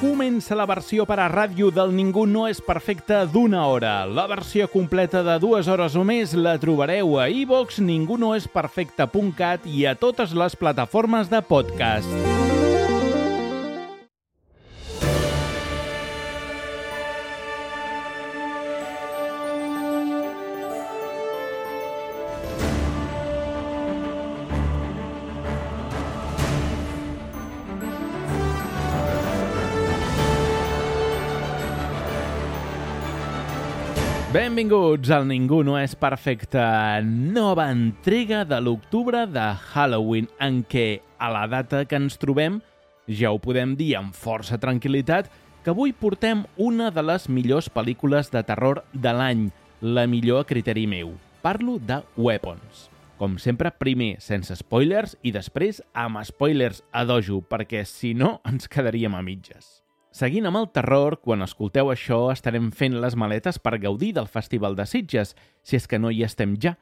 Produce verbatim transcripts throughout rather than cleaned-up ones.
Comença la versió per a ràdio del Ningú no és perfecte d'una hora. La versió completa de dues hores o més la trobareu a iVox, ningú no és perfecte punt cat i a totes les plataformes de podcast. Benvinguts al Ningú no és perfecte, nova entrega de l'octubre de Halloween, en què, a la data que ens trobem, ja ho podem dir amb força tranquil·litat, que avui portem una de les millors pel·lícules de terror de l'any, la millor a criteri meu. Parlo de Weapons. Com sempre, primer sense spoilers i després amb spoilers a dojo, perquè si no ens quedaríem a mitges. Seguint amb el terror, quan escolteu això estarem fent les maletes per gaudir del Festival de Sitges, si és que no hi estem ja.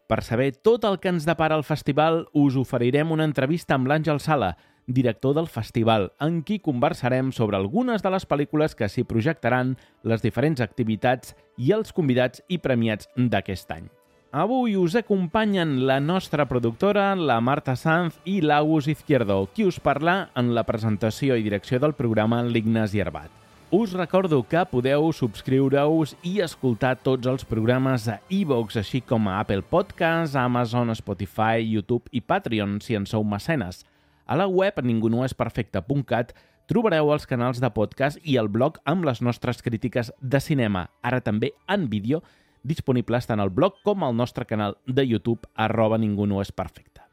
Per saber tot el que ens depara el festival, us oferirem una entrevista amb l'Àngel Sala, director del festival, en qui conversarem sobre algunes de les pel·lícules que s'hi projectaran, les diferents activitats i els convidats i premiats d'aquest any. Avui us acompanyen la nostra productora, la Marta Sanz i l'Agus Izquierdo, qui us parla en la presentació i direcció del programa l'Ignasi Arbat. Us recordo que podeu subscriure-us i escoltar tots els programes a iVox, així com a Apple Podcasts, Amazon, Spotify, YouTube i Patreon, si en sou mecenes. A la web ningú no és perfecte punt cat trobareu els canals de podcast i el blog amb les nostres crítiques de cinema, ara també en vídeo, disponibles tant al blog com al nostre canal de YouTube, arroba ningú no és perfecte.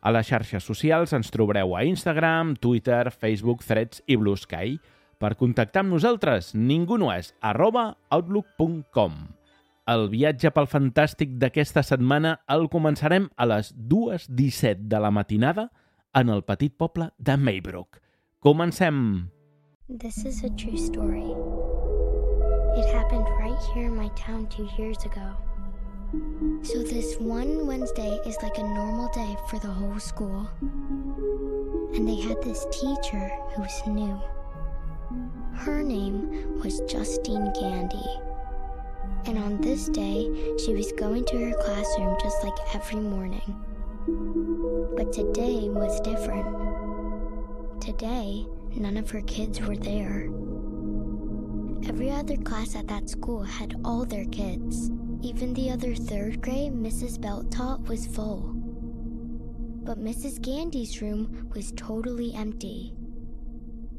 A les xarxes socials ens trobareu a Instagram, Twitter, Facebook, Threads i Blue Sky. Per contactar amb nosaltres, ningú no és, arroba outlook punt com. El viatge pel fantàstic d'aquesta setmana el començarem a les dues disset de la matinada en el petit poble de Maybrook. Comencem! This is a true story. It happened right here in my town two years ago. So this one Wednesday is like a normal day for the whole school. And they had this teacher who was new. Her name was Justine Gandy. And on this day, she was going to her classroom just like every morning. But today was different. Today, none of her kids were there. Every other class at that school had all their kids. Even the other third grade Missus Belt taught was full. But Missus Gandy's room was totally empty.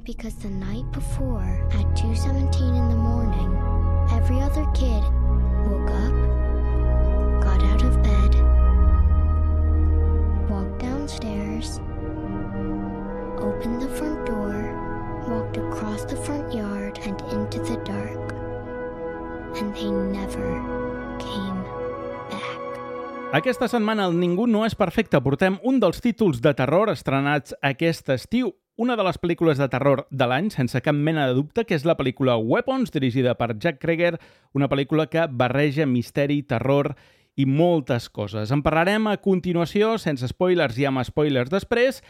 Because the night before, at two seventeen in the morning, every other kid woke up, got out of bed, walked downstairs, opened the front door, walked across the front yard and into the dark. And they never came back. Aquesta setmana al Ningú no és perfecte portem un dels títols de terror estrenats aquest estiu, una de les pel·lícules de terror de l'any, sense cap mena de dubte, que és la pel·lícula Weapons, dirigida per Jack Cregger, una pel·lícula que barreja misteri, terror i moltes coses. En parlarem a continuació, sense spoilers i amb spoilers després,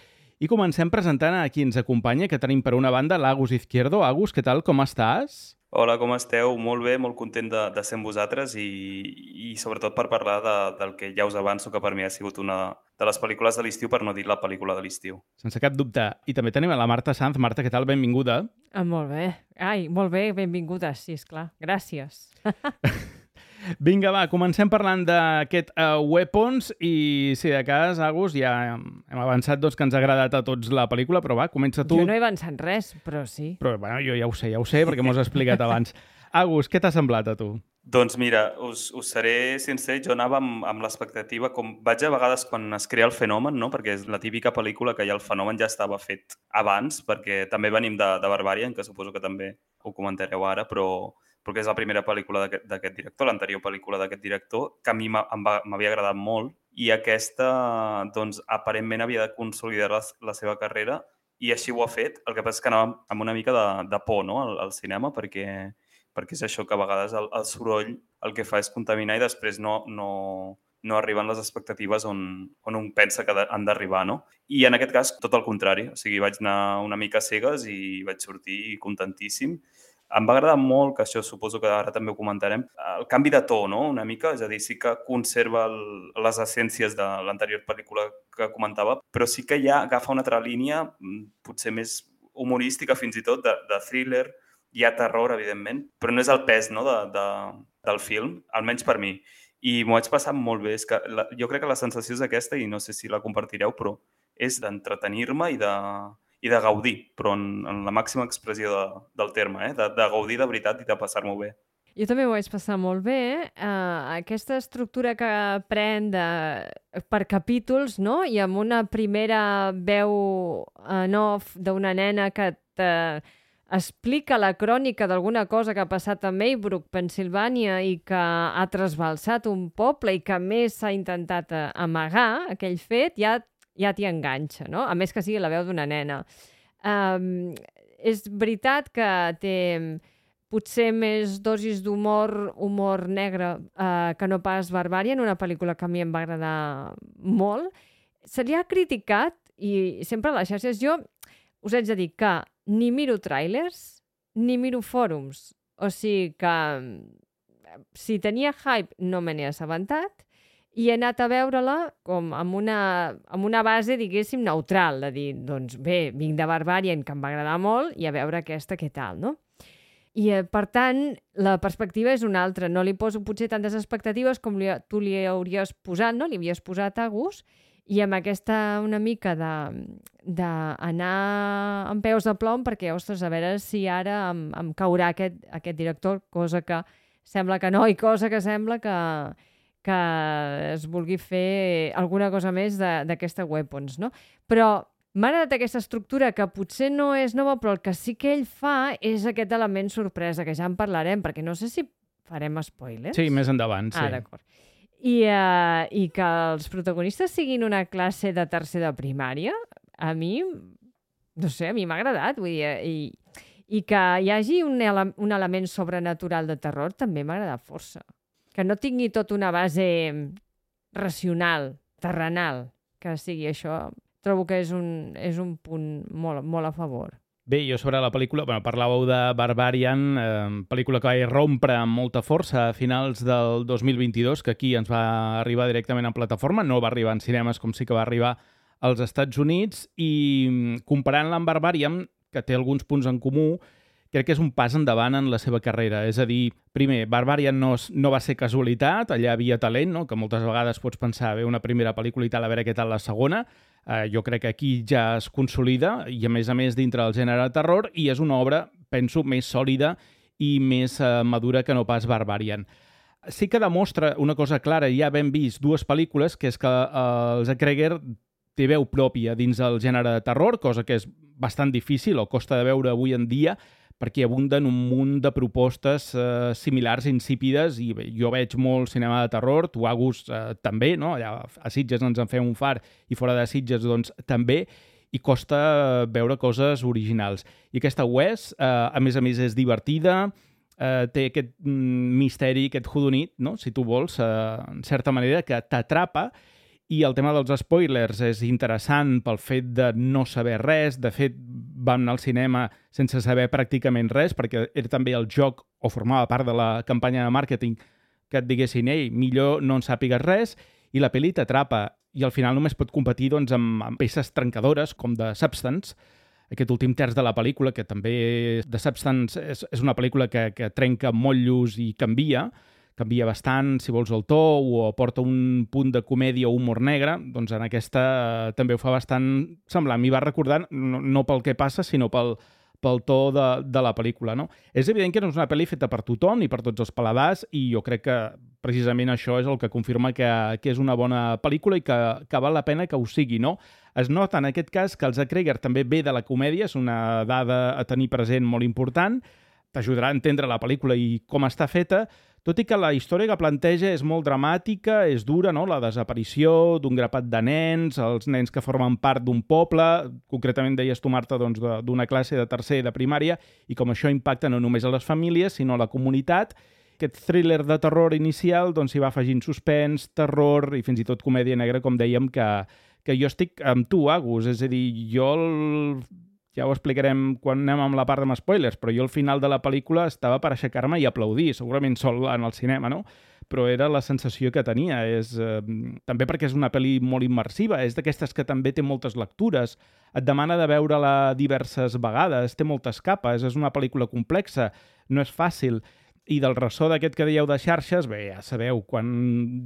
i comencem presentant a qui ens acompanya, que tenim per una banda l'Agus Izquierdo. Agus, què tal, com estàs? Hola, com esteu? Molt bé, molt content de, de ser amb vosaltres i, i sobretot per parlar de, del que ja us avanço que per mi ha sigut una de les pel·lícules de l'estiu, per no dir la pel·lícula de l'estiu. Sense cap dubte. I també tenim a la Marta Sanz. Marta, què tal? Benvinguda. Ah, molt bé. Ai, molt bé, benvinguda, sí, esclar. Gràcies. Vinga, va, comencem parlant d'aquest uh, Weapons i, si de cas, Agus, ja hem avançat doncs, que ens ha agradat a tots la pel·lícula, però va, comença tu. Jo no he avançat res, però sí. Però bueno, jo ja ho sé, ja ho sé, perquè m'ho has explicat abans. Agus, què t'ha semblat a tu? Doncs mira, us, us seré sincer, jo anava amb, amb l'expectativa, com vaig a vegades quan es crea el fenomen, no? Perquè és la típica pel·lícula que ja el fenomen ja estava fet abans, perquè també venim de, de Barbarian, que suposo que també ho comentareu ara, però perquè és la primera pel·lícula d'aquest director, l'anterior pel·lícula d'aquest director, que a mi m'havia agradat molt, i aquesta, doncs, aparentment havia de consolidar la, la seva carrera, i així ho ha fet. El que passa és que anava amb una mica de, de por, no?, al, al cinema, perquè, perquè és això, que a vegades el, el soroll el que fa és contaminar i després no, no, no arriben les expectatives on, on un pensa que han d'arribar, no? I en aquest cas, tot el contrari. O sigui, vaig anar una mica cegues i vaig sortir contentíssim. Em va agradar molt, que això suposo que ara també ho comentarem, el canvi de to, no?, una mica. És a dir, sí que conserva el, les essències de l'anterior pel·lícula que comentava, però sí que ja agafa una altra línia, potser més humorística fins i tot, de, de thriller. Hi ha terror, evidentment, però no és el pes, no?, de, de, del film, almenys per mi. I m'ho vaig passar molt bé. És que la, jo crec que la sensació és aquesta, i no sé si la compartireu, però és d'entretenir-me i de, i de gaudir, però en, en la màxima expressió de, del terme, eh? de, de gaudir de veritat i de passar-m'ho bé. Jo també ho vaig passar molt bé. Uh, aquesta estructura que pren de, per capítols, no?, i amb una primera veu en off d'una nena que te explica la crònica d'alguna cosa que ha passat a Maybrook, Pensilvània, i que ha trasbalsat un poble i que a més s'ha intentat amagar aquell fet, ja, ja t'hi enganxa, no? A més que sigui la veu d'una nena. Um, és veritat que té potser més dosis d'humor, humor negre, uh, que no pas Barbarian, una pel·lícula que a mi em va agradar molt. Se li ha criticat, i sempre a les xarxes, jo us haig de dir que ni miro trailers, ni miro fòrums. O sigui que si tenia hype no me n'he assabentat i he anat a veure-la com amb una, amb una base, diguéssim, neutral, de dir, doncs bé, vinc de Barbarian, que em va agradar molt, i a veure aquesta què tal, no? I, eh, per tant, la perspectiva és una altra. No li poso potser tantes expectatives com li, tu li hauries posat, no? Li havies posat a gust, i amb aquesta una mica d'anar amb peus de plom perquè, ostres, a veure si ara em, em caurà aquest, aquest director, cosa que sembla que no, i cosa que sembla que, que es vulgui fer alguna cosa més d'aquesta Weapons, no? Però m'ha agradat aquesta estructura que potser no és nova, però el que sí que ell fa és aquest element sorpresa, que ja en parlarem, perquè no sé si farem spoilers. Sí, més endavant, sí. Ah, d'acord. I, uh, I que els protagonistes siguin una classe de tercer de primària, a mi, no sé, a mi m'ha agradat. Vull dir, i, i que hi hagi un, ele un element sobrenatural de terror també m'ha agradat força. Que no tingui tot una base racional, terrenal, que sigui això. Trobo que és un, és un punt molt, molt a favor. Bé, jo sobre la pel·lícula, bueno, parlàveu de Barbarian, eh, pel·lícula que va rompre amb molta força a finals del dos mil vint-i-dos, que aquí ens va arribar directament en plataforma, no va arribar en cinemes com sí que va arribar als Estats Units, i comparant-la amb Barbarian, que té alguns punts en comú, crec que és un pas endavant en la seva carrera. És a dir, primer, Barbarian no, no va ser casualitat, allà havia talent, no?, que moltes vegades pots pensar, bé, una primera pel·lícula i tal, a veure què tal la segona. Uh, jo crec que aquí ja es consolida, i a més a més dintre del gènere de terror, i és una obra, penso, més sòlida i més uh, madura que no pas Barbarian. Sí que demostra una cosa clara, ja hem vist dues pel·lícules, que és que uh, el Zach Cregger té veu pròpia dins del gènere de terror, cosa que és bastant difícil o costa de veure avui en dia, perquè abunden un munt de propostes eh, similars, insípides, i bé, jo veig molt cinema de terror, tu, Agus, eh, també, no? Allà a Sitges ens en fem un far, i fora de Sitges, doncs, també, i costa veure coses originals. I aquesta ho és, eh, a més a més és divertida, eh, té aquest mm, misteri, aquest jodonit, no?, si tu vols, eh, en certa manera, que t'atrapa. I el tema dels spoilers és interessant pel fet de no saber res. De fet, vam anar al cinema sense saber pràcticament res, perquè era també el joc, o formava part de la campanya de màrqueting, que et diguessin, ei, millor no en sàpigues res, i la pel·li t'atrapa. I al final només pot competir doncs, amb, amb peces trencadores, com de Substance, aquest últim terç de la pel·lícula, que també The Substance és, és una pel·lícula que, que trenca motllos i canvia, canvia bastant, si vols, el to, o aporta un punt de comèdia o humor negre, doncs en aquesta eh, també ho fa bastant semblant. M'hi va recordant, no, no pel que passa, sinó pel, pel to de, de la pel·lícula, no? És evident que no és una pel·li feta per tothom i per tots els paladars, i jo crec que precisament això és el que confirma que, que és una bona pel·lícula i que, que val la pena que ho sigui, no? Es nota en aquest cas que el Zach Cregger també ve de la comèdia, és una dada a tenir present molt important, t'ajudarà a entendre la pel·lícula i com està feta, tot i que la història que planteja és molt dramàtica, és dura, no?, la desaparició d'un grapat de nens, els nens que formen part d'un poble, concretament deies tu, Marta, doncs, d'una classe de tercer de primària, i com això impacta no només a les famílies, sinó a la comunitat, aquest thriller de terror inicial doncs s'hi va afegint suspens, terror i fins i tot comèdia negra, com dèiem, que, que jo estic amb tu, Agus. És a dir, jo, el... ja ho explicarem quan anem amb la part amb spoilers, però jo al final de la pel·lícula estava per aixecar-me i aplaudir, segurament sol en el cinema, no? Però era la sensació que tenia. És, eh, també perquè és una pel·li molt immersiva, és d'aquestes que també té moltes lectures, et demana de veure-la diverses vegades, té moltes capes, és una pel·lícula complexa, no és fàcil. I del ressò d'aquest que dèieu de xarxes, bé, ja sabeu, quan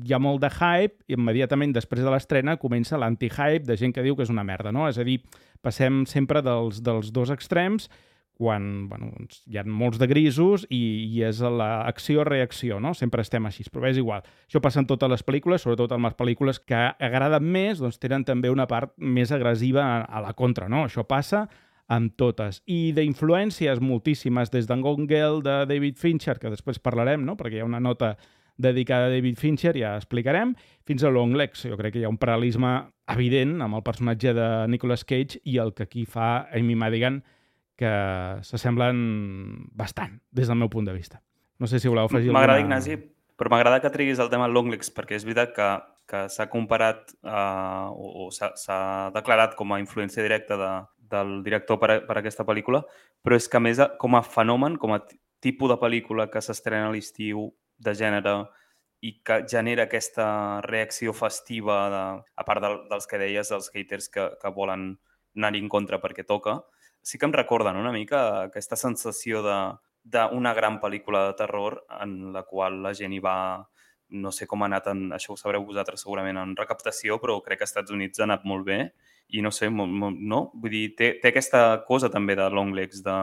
hi ha molt de hype, immediatament després de l'estrena comença l'anti-hype de gent que diu que és una merda, no? És a dir, passem sempre dels, dels dos extrems, quan bueno, hi ha molts de grisos i, i és l'acció-reacció, no? Sempre estem així, però és igual. Això passa en totes les pel·lícules, sobretot en les pel·lícules que agraden més, doncs tenen també una part més agressiva a, a la contra, no? Això passa amb totes. I d'influències moltíssimes, des d'en Gone Girl de David Fincher, que després parlarem, no? Perquè hi ha una nota dedicada a David Fincher, ja explicarem, fins a Longlegs. Jo crec que hi ha un paral·lelisme evident amb el personatge de Nicolas Cage i el que aquí fa Amy Madigan, que s'assemblen bastant, des del meu punt de vista. No sé si voleu afegir alguna... M'agrada, Ignasi, però m'agrada que triguis el tema Longlegs, perquè és veritat que, que s'ha comparat uh, o, o s'ha declarat com a influència directa de, del director per a, per a aquesta pel·lícula, però és que, a més, com a fenomen, com a tipus de pel·lícula que s'estrena a l'estiu, de gènere, i que genera aquesta reacció festiva, de, a part del, dels que deies, dels haters que, que volen anar-hi en contra perquè toca, sí que em recorden una mica aquesta sensació d'una gran pel·lícula de terror en la qual la gent hi va, no sé com ha anat, en, això ho sabreu vosaltres segurament, en recaptació, però crec que als Estats Units ha anat molt bé i no sé, molt, molt, no? Vull dir, té, té aquesta cosa també de Longlegs, de...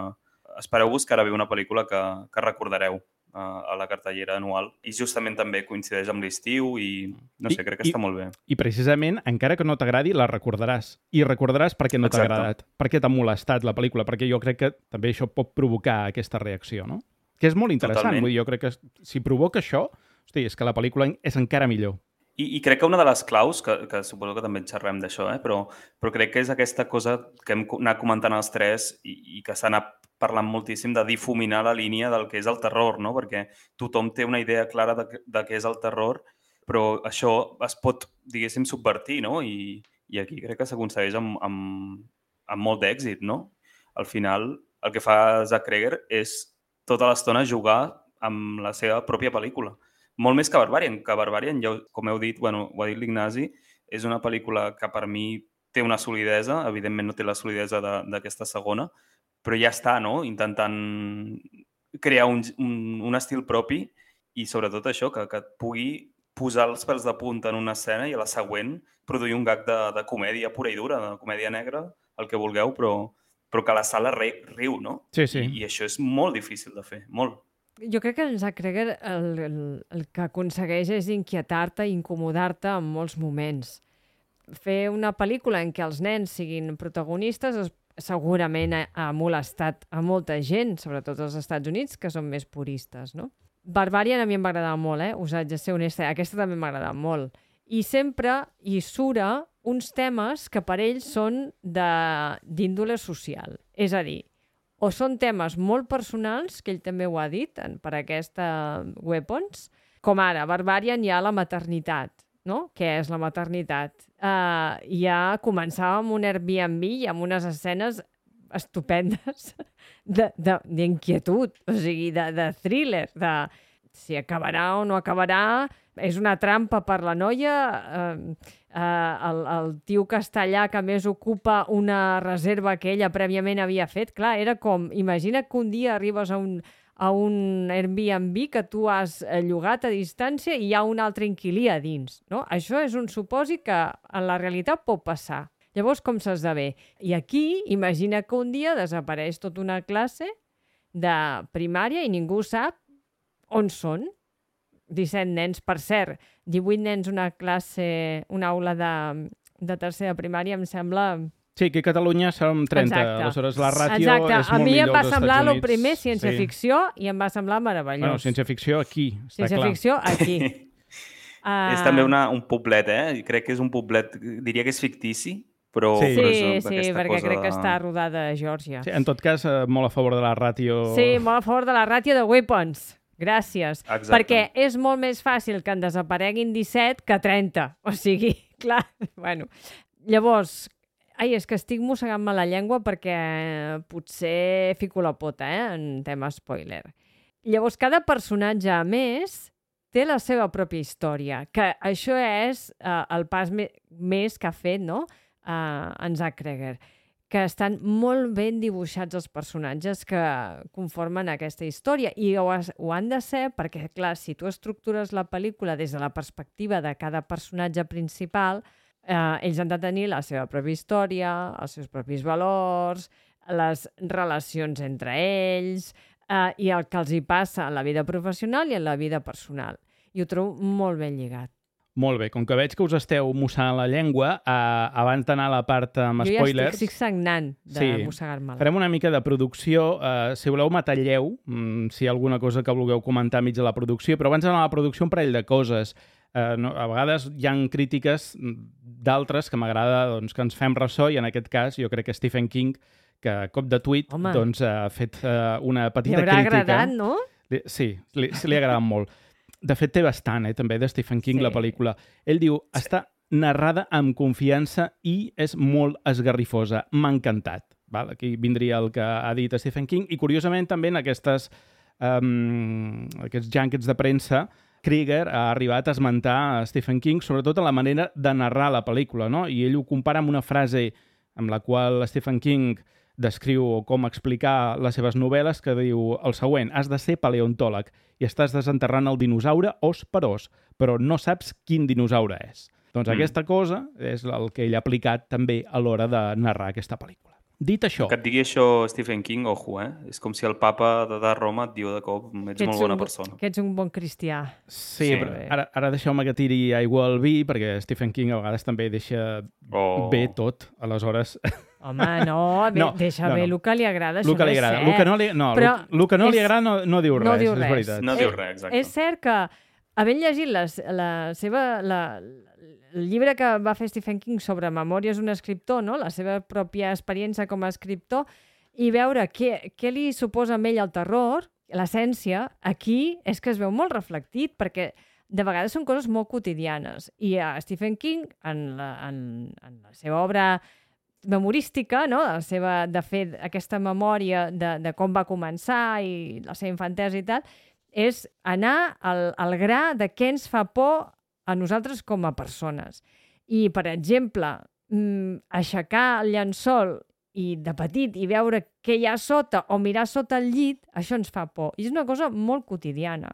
Espereu-vos que ara ve una pel·lícula que, que recordareu a la cartellera anual i justament també coincideix amb l'estiu i no sé, I, crec que i, està molt bé. I precisament, encara que no t'agradi, la recordaràs. I recordaràs perquè no t'ha agradat, perquè t'ha molestat la pel·lícula, perquè jo crec que també això pot provocar aquesta reacció, no? Que és molt interessant. Totalment. Vull dir, jo crec que si provoca això, hosti, és que la pel·lícula és encara millor. I, i crec que una de les claus, que, que suposo que també en xerrem d'això, eh? però, però crec que és aquesta cosa que hem anat comentant els tres i, i que s'ha anat parlant moltíssim de difuminar la línia del que és el terror, no? Perquè tothom té una idea clara de, de què és el terror, però això es pot, diguéssim, subvertir, no? I, i aquí crec que s'aconsegueix amb, amb, amb molt d'èxit, no? Al final, el que fa Zach Cregger és tota l'estona jugar amb la seva pròpia pel·lícula. Molt més que Barbarian, que Barbarian, ja, com heu dit, bueno, ho ha dit l'Ignasi, és una pel·lícula que per mi té una solidesa, evidentment no té la solidesa d'aquesta segona, però ja està, no? Intentant crear un, un, un estil propi i sobretot això, que, que et pugui posar els pèls de punta en una escena i a la següent produir un gag de, de comèdia pura i dura, de comèdia negra, el que vulgueu, però, però que la sala ri, riu, no? Sí, sí. I, I això és molt difícil de fer, molt. Jo crec que en Zach Cregger el, el, el que aconsegueix és inquietar-te i incomodar-te en molts moments. Fer una pel·lícula en què els nens siguin protagonistes es, segurament ha, ha molestat a molta gent, sobretot als Estats Units, que són més puristes, no? Barbarian a mi em va agradar molt, eh? Us haig de ser honesta. Aquesta també m'ha agradat molt. I sempre hi sura uns temes que per ells són d'índole social. És a dir, o són temes molt personals, que ell també ho ha dit en, per aquesta Weapons, com ara, Barbarian hi ha la maternitat, no? Què és la maternitat? Uh, ja començava amb un Airbnb i amb unes escenes estupendes d'inquietud, o sigui, de, de thriller, de si acabarà o no acabarà, és una trampa per la noia, eh, eh, el, el tio castellà que més ocupa una reserva que ella prèviament havia fet, clar, era com, imagina que un dia arribes a un, a un Airbnb que tu has llogat a distància i hi ha un altre inquilí a dins, no? Això és un supòsit que en la realitat pot passar. Llavors, com s'esdevé? I aquí, imagina que un dia desapareix tota una classe de primària i ningú sap on són. disset nens, per cert, divuit nens una classe, una aula de, de tercera primària, em sembla... Sí, que a Catalunya som trenta, Exacte. aleshores la ràtio Exacte. és molt millor als Estats Units. A mi em va semblar el primer ciència-ficció sí. i em va semblar meravellós. Bueno, ciència-ficció aquí, està ciència-ficció clar. aquí. uh... És també una, un poblet, eh? Crec que és un poblet, diria que és fictici, però... Sí, però sí, sí perquè crec de... que està rodada a Geòrgia. Sí, en tot cas, molt a favor de la ràtio... Sí, molt a favor de la ràtio de Weapons. Gràcies. Exacte. Perquè és molt més fàcil que en desapareguin disset que trenta. O sigui, clar, bueno. Llavors, ai, és que estic mossegant-me la llengua perquè potser fico la pota, eh, en tema spoiler. Llavors, cada personatge, a més, té la seva pròpia història, que això és uh, el pas me més que ha fet, no?, uh, en Zach Cregger, que estan molt ben dibuixats els personatges que conformen aquesta història. I ho, has, ho han de ser perquè, clar, si tu estructures la pel·lícula des de la perspectiva de cada personatge principal, eh, ells han de tenir la seva pròpia història, els seus propis valors, les relacions entre ells, eh, i el que els hi passa en la vida professional i en la vida personal. I ho trobo molt ben lligat. Molt bé, com que veig que us esteu mossant la llengua, eh, abans d'anar a la part amb jo spoilers... Jo ja estic sagnant de sí, mossegar-me-la. Farem una mica de producció. Eh, si voleu, m'atalleu, mm, si hi ha alguna cosa que vulgueu comentar mig de la producció, però abans d'anar a la producció, un parell de coses. Eh, no, a vegades hi ha crítiques d'altres que m'agrada doncs, que ens fem ressò, i en aquest cas jo crec que Stephen King, que a cop de tuit doncs, ha fet eh, una petita crítica. Li haurà agradat, no? Sí, li, li ha agradat molt. De fet, té bastant, eh, també, de Stephen King, sí. La pel·lícula. Ell diu, està narrada amb confiança i és molt esgarrifosa. M'ha encantat. Val? Aquí vindria el que ha dit Stephen King. I, curiosament, també en aquestes, um, aquests junkets de premsa, Krieger ha arribat a esmentar a Stephen King, sobretot a la manera de narrar la pel·lícula, no? I ell ho compara amb una frase amb la qual Stephen King descriu com explicar les seves novel·les, que diu el següent: has de ser paleontòleg i estàs desenterrant el dinosaure os per os, però no saps quin dinosaure és. Doncs mm. aquesta cosa és el que ell ha aplicat també a l'hora de narrar aquesta pel·lícula. Dit això... Que et digui això Stephen King, ojo, eh? És com si el papa de, de Roma et diu de cop ets, ets molt bona un, persona. Que ets un bon cristià. Sí, sí. Però ara, ara deixeu-me que tiri aigua al vi, perquè Stephen King a vegades també deixa oh. bé tot, aleshores... Home, no, bé, no deixa no, bé no. el que li agrada, això el que li agrada. no és cert. El que no li, no, però el que no és, li agrada no, no diu no res, diu és res. veritat. No diu res, exacte. És cert que, havent llegit la, la seva, la, el llibre que va fer Stephen King sobre Memòries d'un escriptor, no? La seva pròpia experiència com a escriptor, i veure què, què li suposa a ell el terror, l'essència, aquí és que es veu molt reflectit, perquè de vegades són coses molt quotidianes. I a Stephen King, en la, en, en la seva obra memorística, no? la seva, de fer aquesta memòria de, de com va començar i la seva infantesa i tal, és anar al, al gra de què ens fa por a nosaltres com a persones. I, per exemple, aixecar el llençol i de petit i veure què hi ha sota o mirar sota el llit, això ens fa por. I és una cosa molt quotidiana.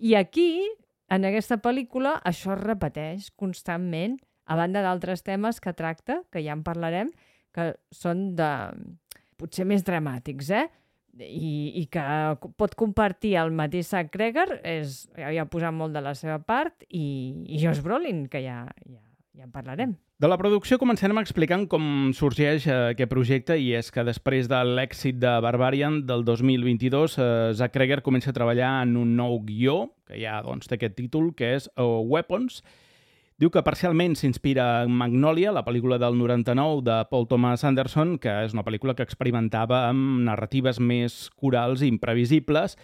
I aquí, en aquesta pel·lícula, això es repeteix constantment, a banda d'altres temes que tracta, que ja en parlarem, que són de potser més dramàtics, eh? I, i que pot compartir el mateix Zach Cregger, és, ja ha posat molt de la seva part, i, i Josh Brolin, que ja, ja, ja en parlarem. De la producció comencem explicant com sorgeix aquest projecte, i és que després de l'èxit de Barbarian del dos mil vint-i-dos, eh, Zach Cregger comença a treballar en un nou guió, que ja doncs, té aquest títol, que és uh, Weapons. Diu que parcialment s'inspira en Magnolia, la pel·lícula del noranta-nou de Paul Thomas Anderson, que és una pel·lícula que experimentava amb narratives més corals i imprevisibles,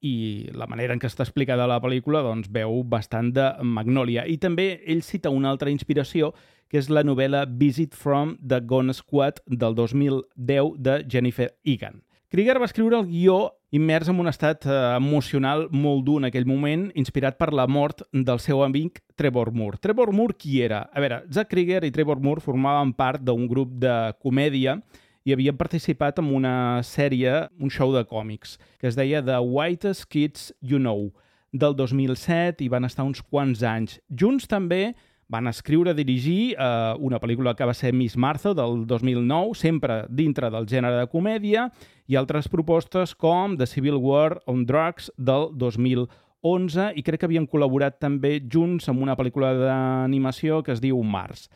i la manera en què està explicada la pel·lícula doncs, veu bastant de Magnolia. I també ell cita una altra inspiració, que és la novel·la Visit from the Gone Squad del dos mil deu de Jennifer Egan. Krieger va escriure el guió immers en un estat eh, emocional molt dur en aquell moment, inspirat per la mort del seu amic Trevor Moore. Trevor Moore qui era? A veure, Zach Cregger i Trevor Moore formaven part d'un grup de comèdia i havien participat en una sèrie, un show de còmics, que es deia The Whitest Kids You Know, del dos mil set, i van estar uns quants anys. Junts també van escriure i dirigir eh, una pel·lícula que va ser Miss Martha del dos mil nou, sempre dintre del gènere de comèdia, i altres propostes com The Civil War on Drugs del dos mil onze, i crec que havien col·laborat també junts en una pel·lícula d'animació que es diu Mars.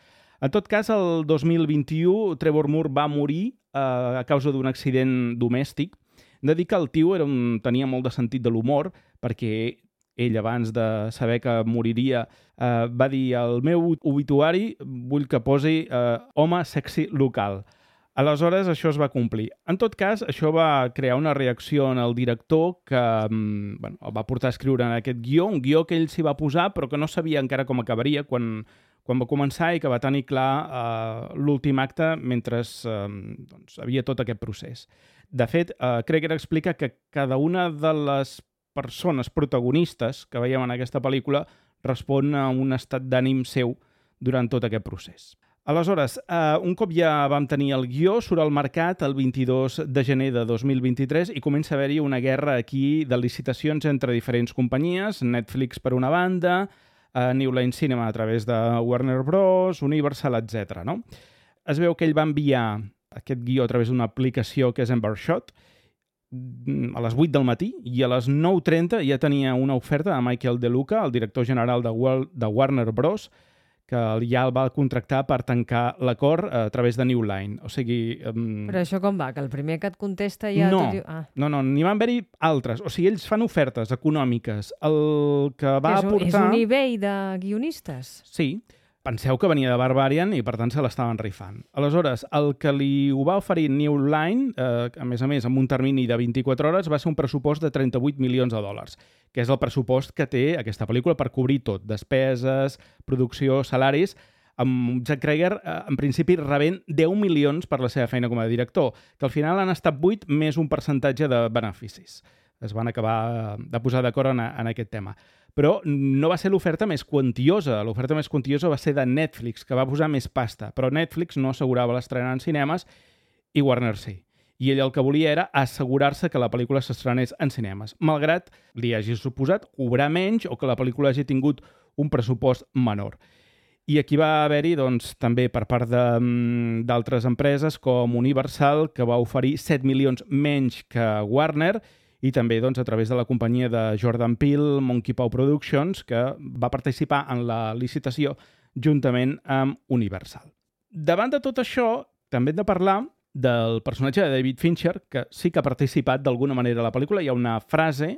En tot cas, el dos mil vint-i-u, Trevor Moore va morir eh, a causa d'un accident domèstic. Hem de dir que el tio era un, tenia molt de sentit de l'humor, perquè ell, abans de saber que moriria, eh, va dir: al meu obituari vull que posi eh, home sexy local. Aleshores, això es va complir. En tot cas, això va crear una reacció en el director que bueno, el va portar a escriure en aquest guió, un guió que ell s'hi va posar però que no sabia encara com acabaria quan, quan va començar i que va tenir clar eh, l'últim acte mentre eh, doncs, havia tot aquest procés. De fet, eh, Cregger explica que cada una de les persones protagonistes que veiem en aquesta pel·lícula respon a un estat d'ànim seu durant tot aquest procés. Aleshores, eh, un cop ja vam tenir el guió, surt al mercat el vint-i-dos de gener de dos mil vint-i-tres i comença a haver-hi una guerra aquí de licitacions entre diferents companyies, Netflix per una banda, eh, New Line Cinema a través de Warner Bros, Universal, etcètera. No? Es veu que ell va enviar aquest guió a través d'una aplicació que és Embershot a les vuit del matí i a les nou trenta ja tenia una oferta de Michael De Luca, el director general de, World, de Warner Bros, que ja el va contractar per tancar l'acord a través de New Line. O sigui... Um... Però això com va? Que el primer que et contesta ja... No, diu... ah. no, no, n'hi van haver-hi altres. O sigui, ells fan ofertes econòmiques. El que va és un, aportar... És un eBay de guionistes? Sí. Penseu que venia de Barbarian i, per tant, se l'estaven rifant. Aleshores, el que li ho va oferir New Line, eh, a més a més, amb un termini de vint-i-quatre hores, va ser un pressupost de trenta-vuit milions de dòlars, que és el pressupost que té aquesta pel·lícula per cobrir tot, despeses, producció, salaris, amb Jack Cregger, eh, en principi, rebent deu milions per la seva feina com a director, que al final han estat vuit més un percentatge de beneficis. Es van acabar de posar d'acord en, en aquest tema. Però no va ser l'oferta més quantiosa. L'oferta més quantiosa va ser de Netflix, que va posar més pasta. Però Netflix no assegurava l'estrena en cinemes i Warner sí. I ell el que volia era assegurar-se que la pel·lícula s'estrenés en cinemes, malgrat li hagi suposat cobrar menys o que la pel·lícula hagi tingut un pressupost menor. I aquí va haver-hi doncs, també per part d'altres empreses com Universal, que va oferir set milions menys que Warner, i també doncs, a través de la companyia de Jordan Peele, Monkey Paw Productions, que va participar en la licitació juntament amb Universal. Davant de tot això, també hem de parlar del personatge de David Fincher, que sí que ha participat d'alguna manera a la pel·lícula. Hi ha una frase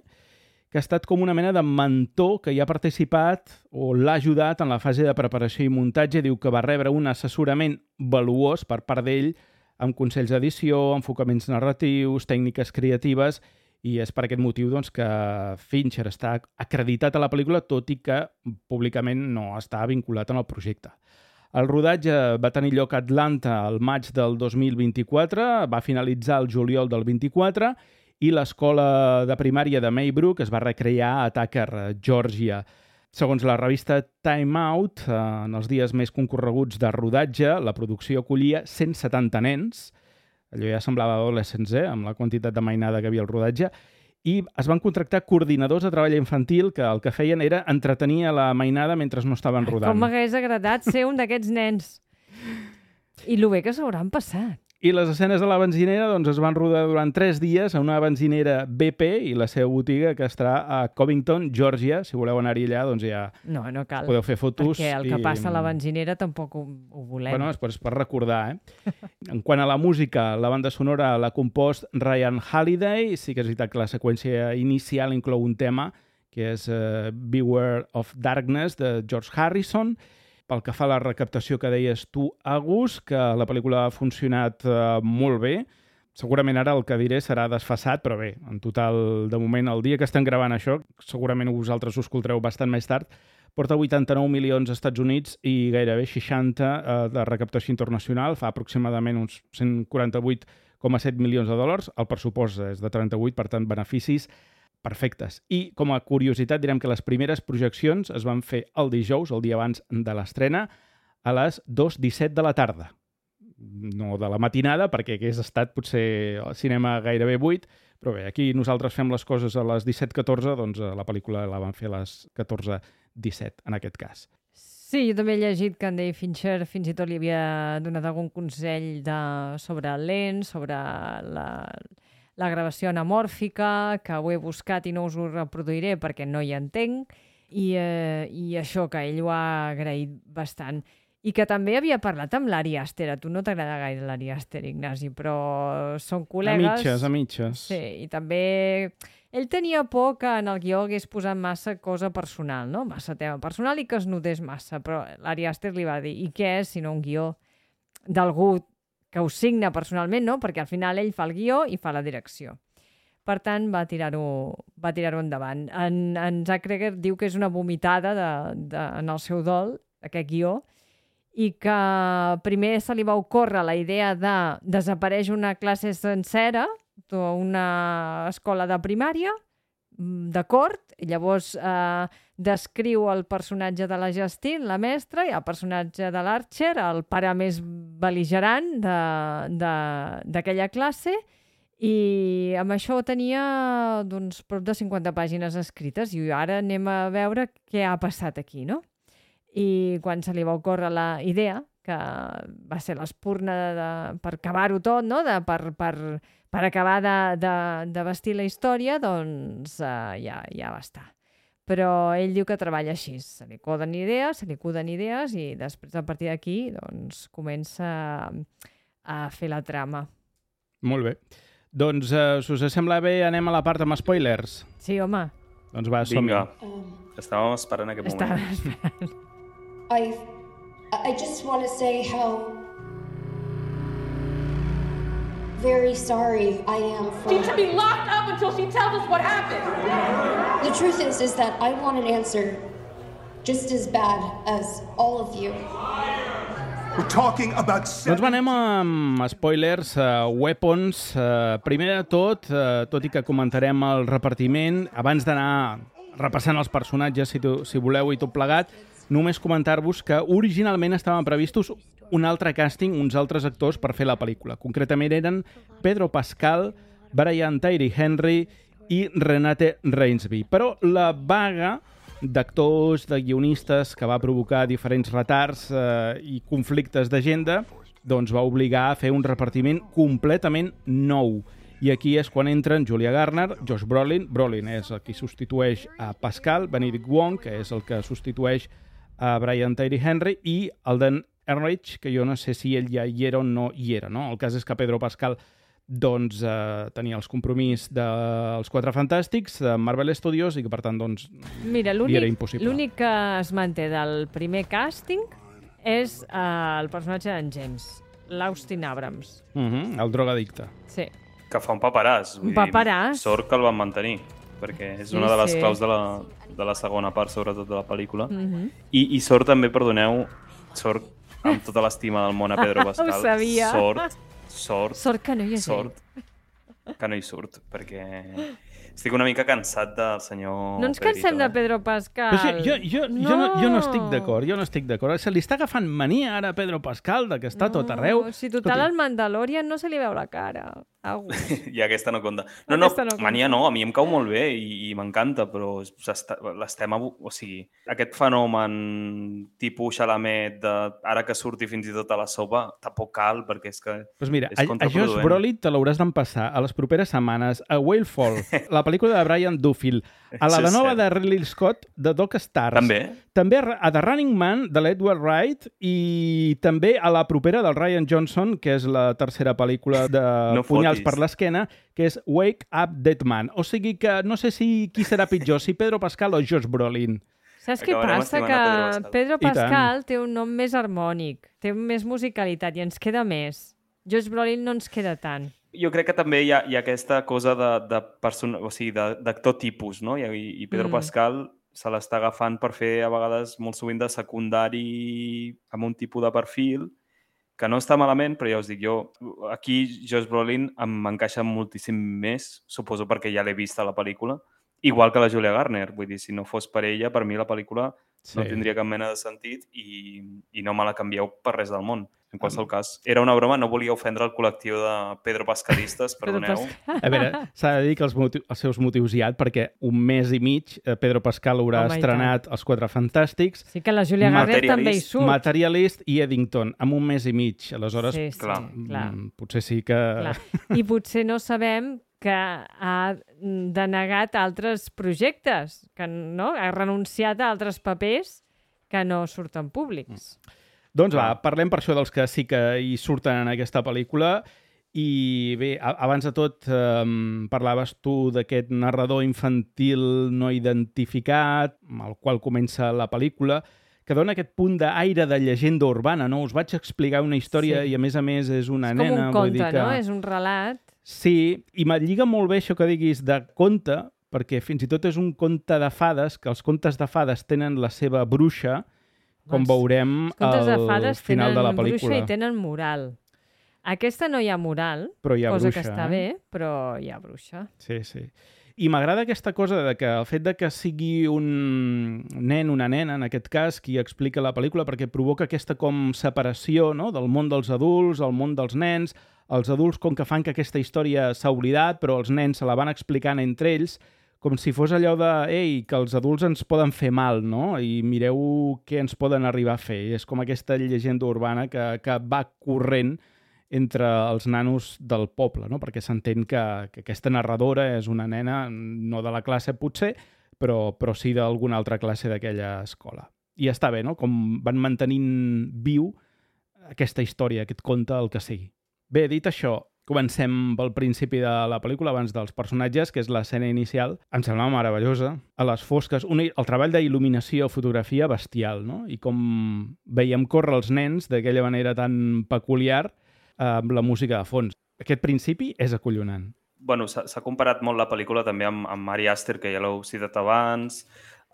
que ha estat com una mena de mentor que hi ha participat o l'ha ajudat en la fase de preparació i muntatge. Diu que va rebre un assessorament valuós per part d'ell amb consells d'edició, enfocaments narratius, tècniques creatives, i és per aquest motiu doncs, que Fincher està acreditat a la pel·lícula, tot i que públicament no està vinculat en el projecte. El rodatge va tenir lloc a Atlanta el maig del dos mil vint-i-quatre, va finalitzar el juliol del vint-i-quatre, i l'escola de primària de Maybrook es va recrear a Tucker, Georgia. Segons la revista Time Out, en els dies més concorreguts de rodatge, la producció acollia cent setanta nens. Allò ja semblava adolescents, eh?, amb la quantitat de mainada que havia al rodatge, i es van contractar coordinadors de treball infantil que el que feien era entretenir a la mainada mentre no estaven rodant. Com m'hagués agradat ser un d'aquests nens. I lo bé que s'hauran passat. I les escenes de la benzinera doncs, es van rodar durant tres dies a una benzinera B P i la seva botiga que està a Covington, Georgia. Si voleu anar-hi allà, doncs ja no, no cal, podeu fer fotos. Perquè el que i... passa a la benzinera tampoc ho, ho volem. Bueno, és per, és per recordar, eh? En quant a la música, la banda sonora l'ha compost Ryan Halliday. Sí que és veritat que la seqüència inicial inclou un tema que és uh, Beware of Darkness, de George Harrison. Pel que fa a la recaptació que deies tu, Agus, que la pel·lícula ha funcionat eh, molt bé. Segurament ara el que diré serà desfasat, però bé, en total, de moment, el dia que estem gravant això, segurament vosaltres ho escoltareu bastant més tard, porta vuitanta-nou milions als Estats Units i gairebé seixanta eh, de recaptació internacional, fa aproximadament uns cent quaranta-vuit coma set milions de dòlars. El pressupost és de trenta-vuit, per tant, beneficis perfectes. I com a curiositat direm que les primeres projeccions es van fer el dijous, el dia abans de l'estrena, a les dos disset de la tarda. No de la matinada, perquè hagués estat potser al cinema gairebé vuit, però bé, aquí nosaltres fem les coses a les disset catorze, doncs la pel·lícula la van fer a les catorze disset, en aquest cas. Sí, jo també he llegit que en David Fincher fins i tot li havia donat algun consell de... sobre el lent, sobre la... la gravació anamòrfica, que ho he buscat i no us ho reproduiré perquè no hi entenc, i, eh, i això, que ell ho ha agraït bastant. I que també havia parlat amb l'Ari Aster. A tu no t'agrada gaire l'Ari Aster, Ignasi, però són col·legues... A mitges, a mitges. Sí, i també... Ell tenia por que en el guió hagués posat massa cosa personal, no? Massa tema personal i que es notés massa, però l'Ari Aster li va dir, i què és, si no un guió d'algú que ho signa personalment, no? Perquè al final ell fa el guió i fa la direcció. Per tant, va tirar-ho va tirar-ho endavant. En, en Zack Cregger diu que és una vomitada de, de, en el seu dol, aquest guió, i que primer se li va ocórrer la idea de desapareix una classe sencera d'una escola de primària, de cort, i llavors eh, descriu el personatge de la Justine, la mestra, i el personatge de l'Archer, el pare més bel·ligerant d'aquella classe, i amb això tenia doncs, prop de cinquanta pàgines escrites, i ara anem a veure què ha passat aquí, no? I quan se li va ocórrer la idea, que va ser l'espurna de, per acabar-ho tot, no? de, per, per, per acabar de, de, de vestir la història, doncs uh, ja, ja va estar. Però ell diu que treballa així, se li coden idees, se li cuden idees i després a partir d'aquí doncs, comença a fer la trama. Molt bé. Doncs, uh, si us sembla bé, anem a la part amb spoilers. Sí, home. Doncs va, som-hi. Vinga, estàvem esperant aquest moment. Estava esperant. I, I just want to say how very sorry I am for... She should be locked up until she tells us what happened. The truth is, is that I want an answer just as bad as all of you. We're talking about... Doncs va, anem amb spoilers, uh, weapons. Uh, primer de tot, uh, tot i que comentarem el repartiment, abans d'anar repassant els personatges, si, tu, si voleu, i tot plegat, només comentar-vos que originalment estaven previstos un altre càsting, uns altres actors per fer la pel·lícula. Concretament eren Pedro Pascal, Brian Tyree Henry i Renate Reinsve. Però la vaga d'actors, de guionistes, que va provocar diferents retards eh, i conflictes d'agenda, doncs va obligar a fer un repartiment completament nou. I aquí és quan entren Julia Garner, Josh Brolin, Brolin és el que substitueix a Pascal, Benedict Wong, que és el que substitueix a Brian Tyree Henry, i Alden Ehrenreich, que jo no sé si ell ja hi era o no hi era, no? El cas és que Pedro Pascal doncs, eh, tenia els compromís dels Quatre Fantàstics, de Marvel Studios, i que per tant doncs, Mira, li era impossible. L'únic que es manté del primer càsting és eh, el personatge d'en James, l'Austin Abrams. Uh -huh, el drogadicte. Sí. Que fa un paperàs. Un paperàs. Sort que el van mantenir, perquè és Sí, una de les sí. claus de la, de la segona part, sobretot de la pel·lícula. Mhm. I, I sort també, perdoneu, sort amb tota l'estima del món a Pedro Pascal. Ho sabia. Sort, sort, Sort que no hi és sort que no hi surt, perquè estic una mica cansat del senyor No ens Pedrito, cansem de eh? Pedro Pascal. Però sí, jo, jo, no. Jo, no, jo no estic d'acord, jo no estic d'acord. Se li està agafant mania ara a Pedro Pascal, de que està tot arreu. Si total al Mandalorian no se li veu la cara. Au. I aquesta no compta. No, no, Aquesta no compta. mania no, a mi em cau molt bé i, i m'encanta, però s'està- l'estem... abu- O sigui, aquest fenomen tipus Chalamet, de, ara que surti fins i tot a la sopa, tampoc cal, perquè és que Pues mira, és a, a Josh contraproduent. Brolin te l'hauràs d'empassar a les properes setmanes a Whale Fall, la pel·lícula de Brian Duffield, a la Això de és nova cert. de Ridley Scott, de Doc Stars. També? També a The Running Man, de l'Edward Wright, i també a la propera del Ryan Johnson, que és la tercera pel·lícula de No Punyals fotis. per l'esquena, que és Wake Up Dead Man. O sigui que no sé si qui serà pitjor, si Pedro Pascal o Josh Brolin. Saps què Acabarem passa? estimant Que a Pedro Pascal. Pedro I tant. Pascal té un nom més harmònic, té més musicalitat i ens queda més. Josh Brolin no ens queda tant. Jo crec que també hi ha, hi ha aquesta cosa de, de persona, o sigui, de- d'actor tipus, no? I, i Pedro Mm. mm. Pascal se l'està agafant per fer, a vegades, molt sovint de secundari amb un tipus de perfil que no està malament, però ja us dic, jo aquí Josh Brolin em- m'encaixa moltíssim més, suposo perquè ja l'he vist a la pel·lícula, igual que la Julia Garner. Vull dir, si no fos per ella, per mi la pel·lícula Sí. no tindria cap mena de sentit i, i no me la canvieu per res del món. En qualsevol cas, era una broma, no volia ofendre el col·lectiu de Pedro Pascalistes, Pedro perdoneu. Pascal. A veure, s'ha de dir que els, motiu, els seus motius hi ha, perquè un mes i mig eh, Pedro Pascal haurà Home, i estrenat Els Quatre Fantàstics, Sí que la Julia Garner Materialist. també hi surt. Materialist i Eddington, en un mes i mig. Aleshores, Sí, sí, clar. clar. mm, potser sí que... clar. I potser no sabem que ha denegat altres projectes, que no? Ha renunciat a altres papers que no surten públics. Doncs va, parlem per això dels que sí que hi surten en aquesta pel·lícula. I bé, a- abans de tot, eh, parlaves tu d'aquest narrador infantil no identificat, amb el qual comença la pel·lícula, que dona aquest punt d'aire de llegenda urbana, no? Us vaig explicar una història Sí. i, a més a més, és una És nena... com un vull conte, dir que... no? És un relat. Sí, i me lliga molt bé això que diguis de conte, perquè fins i tot és un conte de fades, que els contes de fades tenen la seva bruixa, com Els- veurem Els contes de al fades final tenen de la bruixa pel·lícula. i tenen moral. Aquesta no hi ha moral, Però hi ha cosa bruixa, que està eh? bé, però hi ha bruixa. Sí, sí. I m'agrada aquesta cosa de que el fet de que sigui un nen, una nena, en aquest cas, qui explica la pel·lícula, perquè provoca aquesta com separació, no?, del món dels adults, el món dels nens. Els adults com que fan que aquesta història s'ha oblidat, però els nens se la van explicant entre ells, com si fos allò de, ei, que els adults ens poden fer mal, no?, i mireu què ens poden arribar a fer. I és com aquesta llegenda urbana que, que va corrent entre els nanos del poble, no? Perquè s'entén que, que aquesta narradora és una nena, no de la classe potser, però, però sí d'alguna altra classe d'aquella escola. I està bé, no?, com van mantenint viu aquesta història, aquest conte, el que sigui. Bé, dit això, comencem pel principi de la pel·lícula, abans dels personatges, que és l'escena inicial. Em sembla meravellosa. A les fosques, un, el treball d'il·luminació, fotografia bestial, no? I com veiem córrer els nens d'aquella manera tan peculiar, amb la música de fons. Aquest principi és acollonant. Bueno, s'ha s'ha comparat molt la pel·lícula també amb, amb Ari Aster, que ja l'heu citat abans.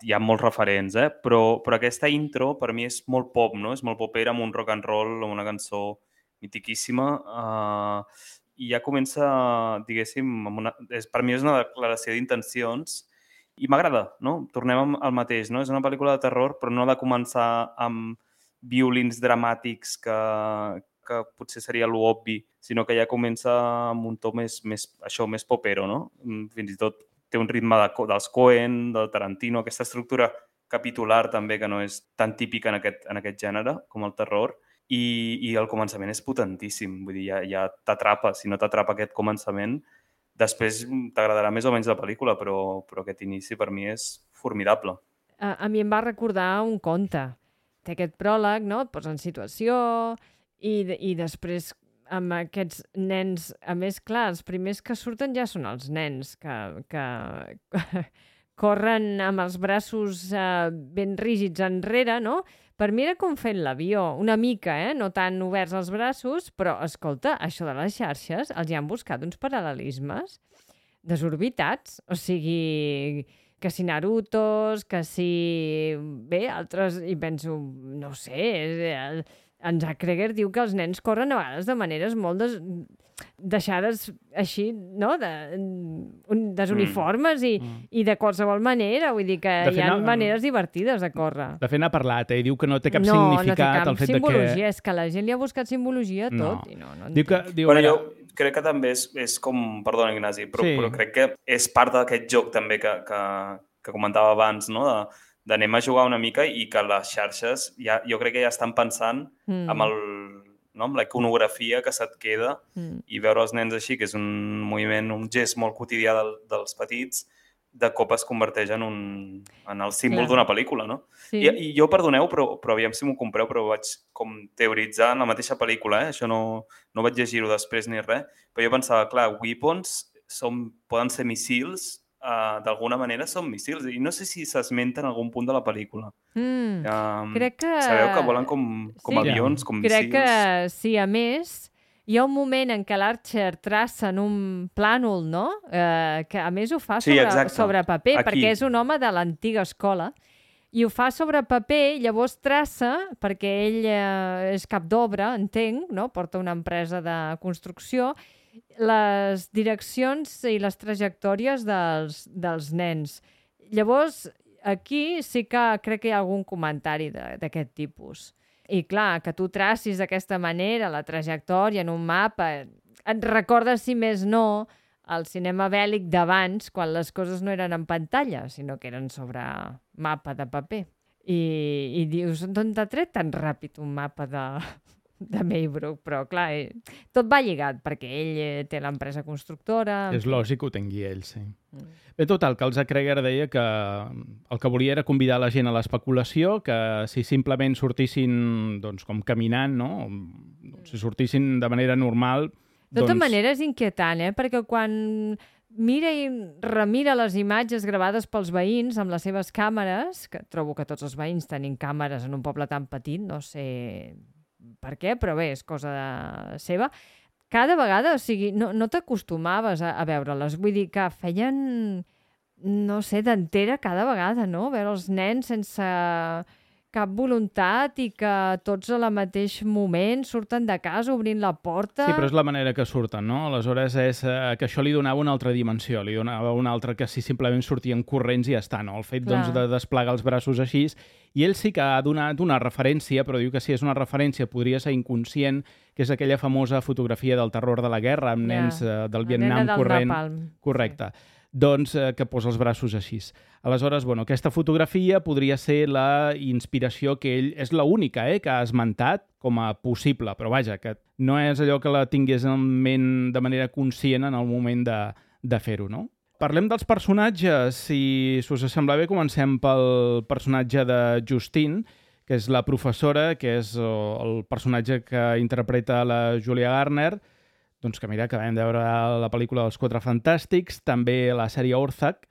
Hi ha molts referents, eh? Però, però aquesta intro per mi és molt pop, no? És molt popera, amb un rock and roll, amb una cançó mitiquíssima. Uh, I ja comença, diguéssim, amb una, és, per mi és una declaració d'intencions i m'agrada, no? Tornem al mateix, no? És una pel·lícula de terror, però no ha de començar amb violins dramàtics que, que potser seria l'obvi, sinó que ja comença amb un to més, més, això, més popero, no? Fins i tot té un ritme de, dels Coen, del Tarantino, aquesta estructura capitular també, que no és tan típica en aquest, en aquest gènere com el terror, i, i el començament és potentíssim, vull dir, ja, ja t'atrapa. Si no t'atrapa aquest començament, després t'agradarà més o menys la pel·lícula, però, però aquest inici per mi és formidable. A, a mi em va recordar un conte. Té aquest pròleg, no? Et posa en situació i, i després amb aquests nens, a més, clar, els primers que surten ja són els nens que, que corren amb els braços eh, ben rígids enrere, no? Per mi era com fent l'avió, una mica, eh? No tan oberts els braços, però, escolta, això de les xarxes els hi han buscat uns paral·lelismes desorbitats. O sigui, que si Narutos, que si... Bé, altres... I penso, no sé... El, en Zack Kreger diu que els nens corren a vegades de maneres molt des... deixades així, no? De... desuniformes i, mm. i de qualsevol manera. Vull dir que hi ha no, maneres divertides de córrer. De fet, n'ha parlat, eh? I diu que no té cap no, significat no el fet de que... No, no té cap simbologia. És que la gent li ha buscat simbologia a tot. No. I no, no diu que, diu, bueno, jo crec que també és, és com... Perdona, Ignasi, però, sí. però crec que és part d'aquest joc també que, que, que comentava abans, no? De, d'anem a jugar una mica i que les xarxes ja, jo crec que ja estan pensant mm. amb, el, no? amb la iconografia que se't queda mm. i veure els nens així, que és un moviment, un gest molt quotidià del, dels petits, de cop es converteix en, un, en el símbol d'una pel·lícula, no? Sí. I, I jo, perdoneu, però, però aviam si m'ho compreu, però vaig com teoritzar en la mateixa pel·lícula, eh? Això no, no vaig llegir-ho després ni res, però jo pensava, clar, weapons són, poden ser missils, Uh, d'alguna manera són missils i no sé si s'esmenta en algun punt de la pel·lícula. Mm, um, crec que... Sabeu que volen com, com sí. avions, com crec missils? Crec que sí, a més hi ha un moment en què l'Archer traça en un plànol, no? Uh, que a més ho fa sobre, sí, sobre paper, aquí. Perquè és un home de l'antiga escola i ho fa sobre paper, llavors traça, perquè ell uh, és cap d'obra, entenc, no? Porta una empresa de construcció, les direccions i les trajectòries dels, dels nens. Llavors, aquí sí que crec que hi ha algun comentari d'aquest tipus. I clar, que tu tracis d'aquesta manera la trajectòria en un mapa, et recorda, si més no, el cinema bèl·lic d'abans, quan les coses no eren en pantalla, sinó que eren sobre mapa de paper. I, i dius, d'on t'ha tret tan ràpid un mapa de... de Maybrook, però clar, eh, tot va lligat, perquè ell eh, té l'empresa constructora... És lògic que ho tingui ell, sí. Mm. Bé, total, que el Zack Kreger deia que el que volia era convidar la gent a l'especulació, que si simplement sortissin, doncs, com caminant, no? Si sortissin de manera normal... De tota doncs... manera és inquietant, eh? Perquè quan mira i remira les imatges gravades pels veïns amb les seves càmeres, que trobo que tots els veïns tenim càmeres en un poble tan petit, no sé per què, però bé, és cosa de... seva. Cada vegada, o sigui, no, no t'acostumaves a, a veure-les. Vull dir que feien, no sé, d'entera cada vegada, no? Veure els nens sense cap voluntat i que tots al mateix moment surten de casa obrint la porta. Sí, però és la manera que surten, no? Aleshores és eh, que això li donava una altra dimensió, li donava una altra que si simplement sortien corrents i ja està, no? El fet doncs, de desplegar els braços així. I ell sí que ha donat una referència, però diu que si és una referència podria ser inconscient, que és aquella famosa fotografia del terror de la guerra amb nens eh, del Vietnam del corrent. Napalm. Correcte. Sí. Doncs eh, que posa els braços així. Aleshores, bueno, aquesta fotografia podria ser la inspiració que ell... És l'única eh, que ha esmentat com a possible, però vaja, que no és allò que la tingués en ment de manera conscient en el moment de, de fer-ho, no? Parlem dels personatges. Si us sembla bé, comencem pel personatge de Justine, que és la professora, que és el personatge que interpreta la Julia Garner, doncs que mira, acabem de veure la pel·lícula dels Quatre Fantàstics, també la sèrie Orthac,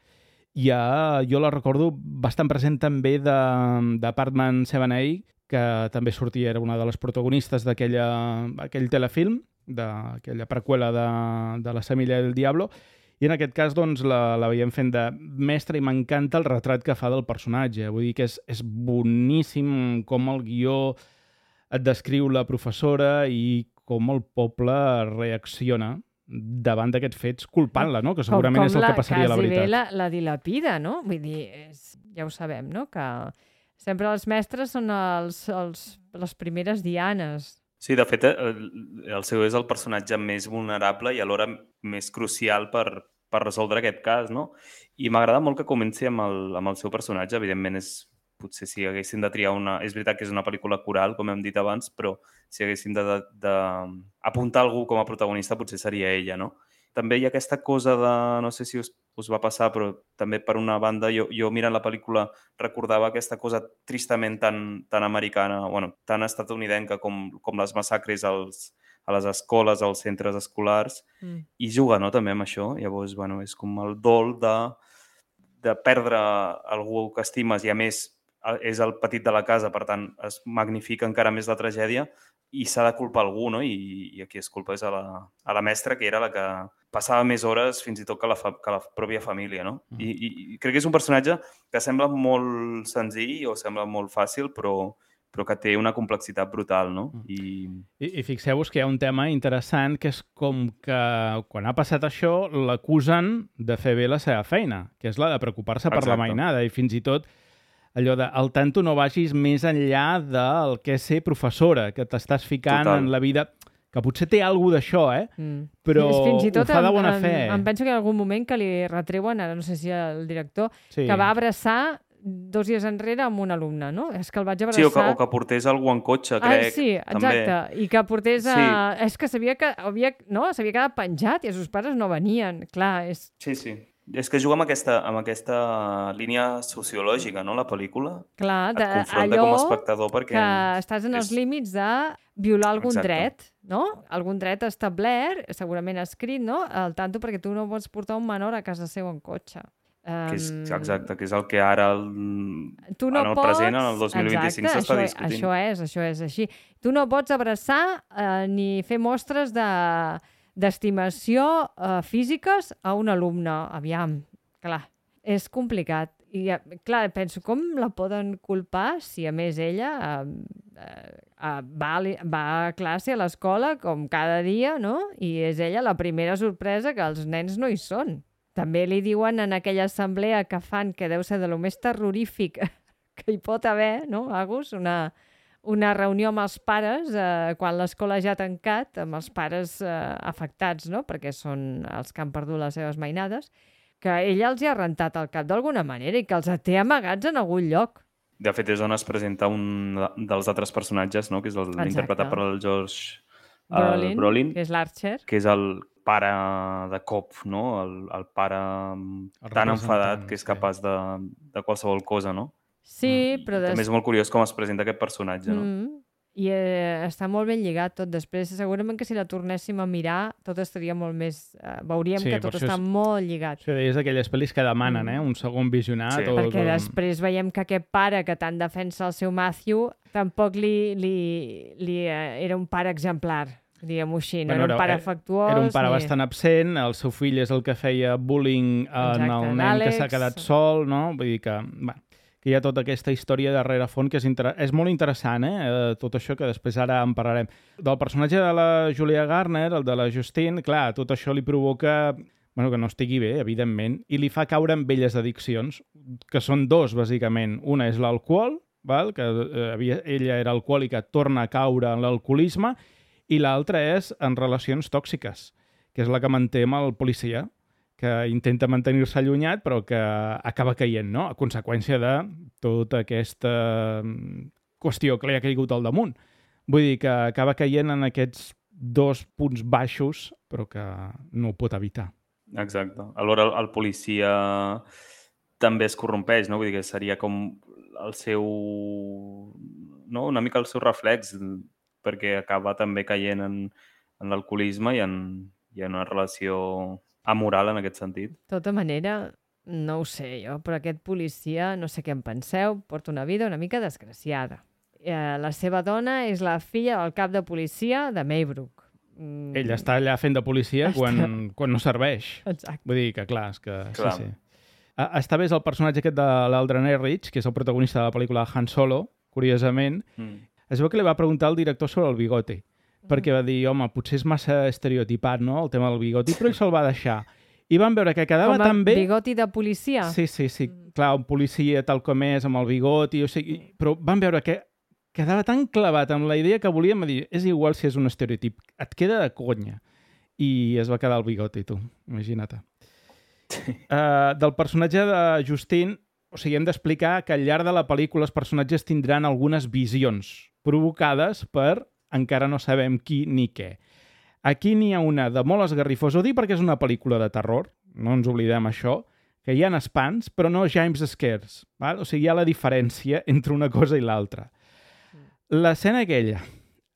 i ja, jo la recordo bastant present també de d'Apartment set A, que també sortia, era una de les protagonistes d'aquell telefilm, d'aquella preqüela de, de La Semilla del Diablo, i en aquest cas doncs, la, la veiem fent de mestra i m'encanta el retrat que fa del personatge. Vull dir que és, és boníssim com el guió et descriu la professora i com el poble reacciona davant d'aquests fets, culpant-la, no? Que segurament com, com és el que passaria a la veritat. Com la, la dilapida, no? Vull dir, és, ja ho sabem, no? Que sempre els mestres són els, els, les primeres dianes. Sí, de fet, el, el seu és el personatge més vulnerable i alhora més crucial per, per resoldre aquest cas, no? I m'agrada molt que comenci amb el, amb el seu personatge. Evidentment, és, potser si haguéssim de triar una... És veritat que és una pel·lícula coral, com hem dit abans, però si haguéssim d'apuntar algú com a protagonista, potser seria ella, no? També hi ha aquesta cosa de... No sé si us, us va passar, però també per una banda, jo, jo mirant la pel·lícula recordava aquesta cosa tristament tan, tan americana, bueno, tan estatunidenca com, com les massacres als, a les escoles, als centres escolars, mm. i juga, no?, també amb això. Llavors, bueno, és com el dol de, de perdre algú que estimes i, a més, és el petit de la casa, per tant, es magnifica encara més la tragèdia i s'ha de culpar algú, no? I, i aquí es culpa és a la, a la mestra, que era la que passava més hores fins i tot que la, fa, que la pròpia família, no? Mm. I, i, I crec que és un personatge que sembla molt senzill o sembla molt fàcil, però, però que té una complexitat brutal, no? Mm. I, I, i fixeu-vos que hi ha un tema interessant, que és com que quan ha passat això l'acusen de fer bé la seva feina, que és la de preocupar-se per la mainada, i fins i tot allò de, al tanto no vagis més enllà del que és ser professora, que t'estàs ficant Total. En la vida, que potser té alguna d'això, eh? Mm. Però fins i tot ho fa de bona en, fe. Em penso que en algun moment que li retreuen, ara no sé si el director, sí. que va abraçar dos dies enrere amb un alumne, no? És que el vaig abraçar... Sí, o que, o que portés algú en cotxe, crec. Ah, sí, exacte. També. I que portés... A... Sí. És que sabia que havia, no? s'havia quedat penjat i els seus pares no venien. Clar, és... Sí, sí. És que juga amb aquesta, amb aquesta línia sociològica, no?, la pel·lícula. Clar, de, et confronta allò com a espectador perquè... que estàs en els és... límits de violar algun Exacte. dret, no? Algun dret establert, segurament escrit, no? Al tanto, perquè tu no pots portar un menor a casa seu en cotxe. Que és, exacte, que és el que ara el, tu no en el pots... present, en el dos mil vint-i-cinc, s'està discutint. Això és, això és així. Tu no pots abraçar eh, ni fer mostres de d'estimació eh, físiques a un alumne. Aviam, clar, és complicat. I, clar, penso, com la poden culpar si, a més, ella eh, eh, va, va a classe a l'escola com cada dia, no? I és ella la primera sorpresa que els nens no hi són. També li diuen en aquella assemblea que fan, que deu ser de lo més terrorífic que hi pot haver, no, Agus? Una... una reunió amb els pares eh, quan l'escola ja ha tancat, amb els pares eh, afectats, no? Perquè són els que han perdut les seves mainades, que ella els hi ha rentat el cap d'alguna manera i que els té amagats en algun lloc. De fet, és on es presenta un dels altres personatges, no?, que és l'interpretat per el Josh Brolin, Brolin, que és l'Archer. Que és el pare de cop, no?, el, el pare el tan enfadat que és capaç de, de qualsevol cosa, no? Sí, però... Des... També és molt curiós com es presenta aquest personatge, no? Mm. I eh, està molt ben lligat tot. Després, segurament que si la tornéssim a mirar, tot estaria molt més... Eh, veuríem Sí, que per tot això està és- molt lligat. Això és d'aquelles pel·lis que demanen, Mm. eh? Un segon visionat. Sí. O Perquè com- després veiem que aquest pare que tant defensa el seu Matthew tampoc li, li, li eh, era un pare exemplar, diguem-ho així. No Bueno, era un pare era- afectuós. Era un pare ni... bastant absent, el seu fill és el que feia bullying en Exacte, el nen que s'ha l'Àlex. quedat sol, no? Vull dir que, bueno, que hi ha tota aquesta història darrere fons que és, inter... és molt interessant, eh? eh? Tot això que després ara en parlarem. Del personatge de la Julia Garner, el de la Justine, clar, tot això li provoca... Bueno, que no estigui bé, evidentment, i li fa caure en velles addiccions, que són dos, bàsicament. Una és l'alcohol, val? Que eh, havia... ella era alcohòlica, torna a caure en l'alcoholisme, i l'altra és en relacions tòxiques, que és la que manté amb el policia, que intenta mantenir-se allunyat, però que acaba caient, no? A conseqüència de tota aquesta mm, qüestió que li ha caigut al damunt. Vull dir que acaba caient en aquests dos punts baixos, però que no ho pot evitar. Exacte. Alhora el, el policia també es corrompeix, no? Vull dir que seria com el seu... no? Una mica el seu reflex, perquè acaba també caient en, en l'alcoholisme i, en, i en una relació amoral en aquest sentit. De tota manera, no ho sé jo, però aquest policia, no sé què en penseu, porta una vida una mica desgraciada. Eh, la seva dona és la filla del cap de policia de Maybrook. Mm. Ell està allà fent de policia Està- quan, quan no serveix. Exacte. Vull dir que, clar, és que... Clar. Sí, sí. Ah, està bé és el personatge aquest de l'Aldrin Ehrenreich, que és el protagonista de la pel·lícula Han Solo, curiosament. Mm. Es veu que li va preguntar al director sobre el bigoti, perquè va dir, home, potser és massa estereotipat, no?, el tema del bigoti, però ell se'l va deixar. I van veure que quedava Com a tan bé... bigoti de policia? Sí, sí, sí. Clar, un policia tal com és, amb el bigoti, o sigui... Però van veure que quedava tan clavat amb la idea que volíem dir, és igual si és un estereotip, et queda de conya. I es va quedar el bigoti, tu, imagina't. Uh, del personatge de Justine, o sigui, hem d'explicar que al llarg de la pel·lícula els personatges tindran algunes visions provocades per encara no sabem qui ni què. Aquí n'hi ha una de molt esgarrifós, ho dic perquè és una pel·lícula de terror, no ens oblidem això, que hi ha espants, però no James Scares. Val? O sigui, hi ha la diferència entre una cosa i l'altra. L'escena aquella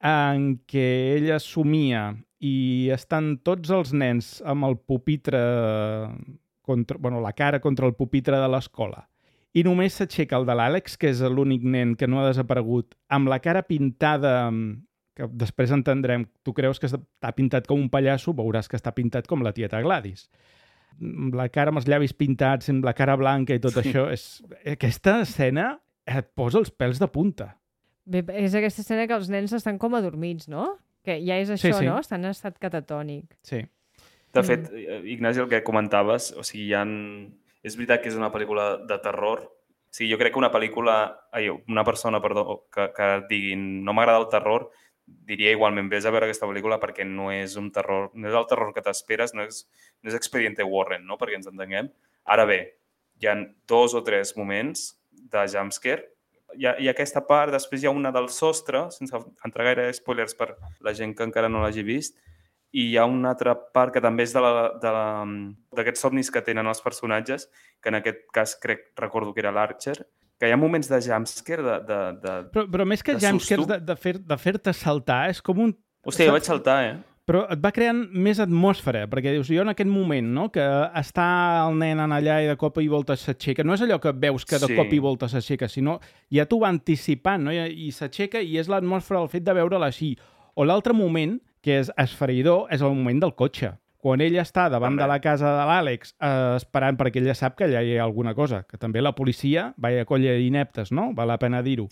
en què ella somia i estan tots els nens amb el pupitre, contra, bueno, la cara contra el pupitre de l'escola, i només s'aixeca el de l'Àlex, que és l'únic nen que no ha desaparegut, amb la cara pintada, que després entendrem, tu creus que està pintat com un pallasso, veuràs que està pintat com la tieta Gladys. La cara amb els llavis pintats, amb la cara blanca i tot Sí. això, és... aquesta escena et posa els pèls de punta. Bé, és aquesta escena que els nens estan com adormits, no? Que ja és això, Sí, sí. no? Estan en estat catatònic. Sí. De Mm. fet, Ignasi, el que comentaves, o sigui, hi ha... és veritat que és una pel·lícula de terror. O sigui, jo crec que una pel·lícula... Ai, una persona, perdó, que, que diguin no m'agrada el terror, diria igualment, vés a veure aquesta pel·lícula perquè no és un terror, no és el terror que t'esperes, no és, no és Expediente Warren, no? Perquè ens entenguem. Ara bé, hi ha dos o tres moments de jumpscare. Hi ha, hi ha aquesta part, després hi ha una del sostre, sense entrar gaire spoilers per la gent que encara no l'hagi vist, i hi ha una altra part que també és de la- de la- d'aquests somnis que tenen els personatges, que en aquest cas crec, recordo que era l'Archer, que hi ha moments de jumpscare de... de, de... Però, però més que De jumpscares, susto. de, de fer- de fer-te saltar, és com un... Hòstia, jo vaig saltar, eh? Però et va creant més atmosfera, perquè dius, jo en aquest moment, no?, que està el nen en allà i de cop i volta s'aixeca, no és allò que veus que de Sí. cop i volta s'aixeca, sinó ja t'ho va anticipant, no?, i, i s'aixeca i és l'atmosfera, el fet de veure-la així. O l'altre moment, que és esfereïdor, és el moment del cotxe. Quan ella està davant També. de la casa de l'Àlex eh, esperant perquè ella sap que allà hi ha alguna cosa, que també la policia, vaya colla d'ineptes, no?, val la pena dir-ho.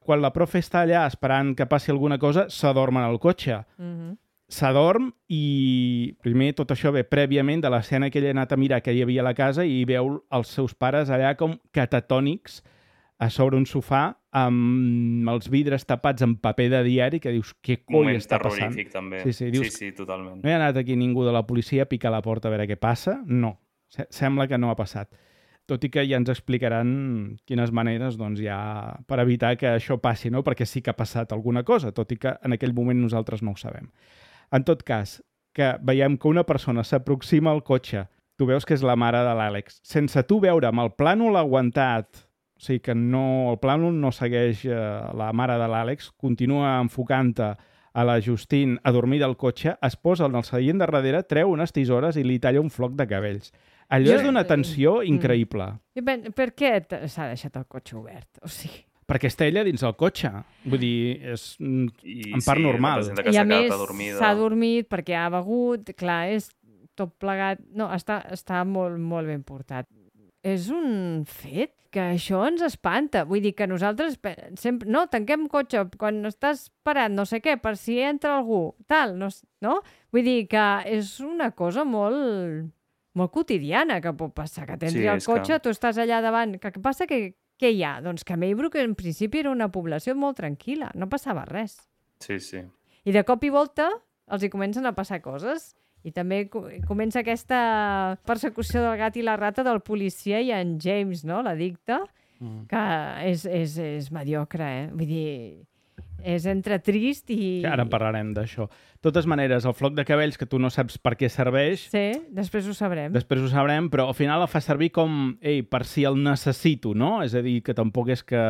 Quan la profe està allà esperant que passi alguna cosa, s'adorm en el cotxe. Mhm. S'adorm i primer tot això ve prèviament de l'escena que ella ha anat a mirar que hi havia a la casa i veu els seus pares allà com catatònics a sobre un sofà amb els vidres tapats amb paper de diari que dius, què coi Moment està passant? terrorífic, també. Sí, sí, dius- sí, sí, totalment. No hi ha anat aquí ningú de la policia a picar la porta a veure què passa? No. Se- Sembla que no ha passat. Tot i que ja ens explicaran quines maneres doncs, hi ha per evitar que això passi, no? Perquè sí que ha passat alguna cosa, tot i que en aquell moment nosaltres no ho sabem. En tot cas, que veiem que una persona s'aproxima al cotxe, tu veus que és la mare de l'Àlex, sense tu veure amb el plànol aguantat, o sigui que no, el plànol no segueix eh, la mare de l'Àlex, continua enfocant-te a la Justine a dormir del cotxe, es posa en el seient de darrere, treu unes tisores i li talla un floc de cabells. Allò Jo- és d'una tensió increïble. I ben, per què t- s'ha deixat el cotxe obert? O sigui, Perquè està ella dins del cotxe. Vull dir, és mm, I, en part sí, normal. representa que I a s'ha quedat més adormida. s'ha dormit perquè ha begut, clar, és tot plegat... No, està, està molt, molt ben portat. És un fet que això ens espanta. Vull dir que nosaltres pe- sempre... No, tanquem cotxe quan estàs parat, no sé què, per si entra algú, tal, no? s- no? Vull dir que és una cosa molt, molt quotidiana que pot passar, que t'entri Sí, al és que- cotxe, tu estàs allà davant... Que, què passa? Que, què hi ha? Doncs que Maybrook en principi era una població molt tranquil·la, no passava res. Sí, sí. I de cop i volta els hi comencen a passar coses. I també co- comença aquesta persecució del gat i la rata del policia i en James, no?, l'addicte, Mm. que és, és, és mediocre, eh? Vull dir, és entre trist i... Que ara en parlarem d'això. De totes maneres, el floc de cabells que tu no saps per què serveix, Sí, després ho sabrem. després ho sabrem, però al final el fa servir com, ei, per si el necessito, no? És a dir, que tampoc és que...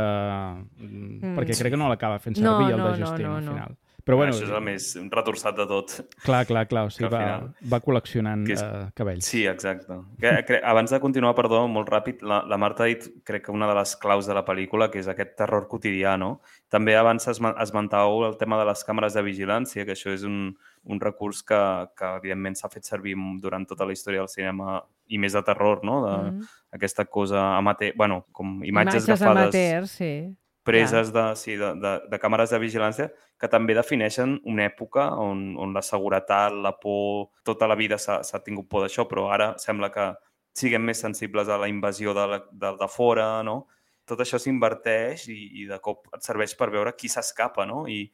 Mm. Perquè crec que no l'acaba fent No, servir el no, de no, Justine no, al no. final. Però bueno, Això és el més retorçat de tot. clar, clar, clar, o sigui, que al va, final- va col·leccionant Que és- eh, cabells. Sí, exacte. Que, que, abans de continuar, perdó, molt ràpid, la, la Marta ha dit, crec que una de les claus de la pel·lícula, que és aquest terror quotidià, no? També abans esma- esmentàveu el tema de les càmeres de vigilància, que això és un, un recurs que, que evidentment s'ha fet servir durant tota la història del cinema i més de terror, no? De, Mm. Aquesta cosa amateur, bueno, com imatges, Imatges agafades, amateurs, sí. preses de, sí, de, de, de càmeres de vigilància que també defineixen una època on, on la seguretat, la por, tota la vida s'ha s'ha tingut por d'això, però ara sembla que siguem més sensibles a la invasió de, la, de, de fora, no? Tot això s'inverteix i, i de cop et serveix per veure qui s'escapa, no? I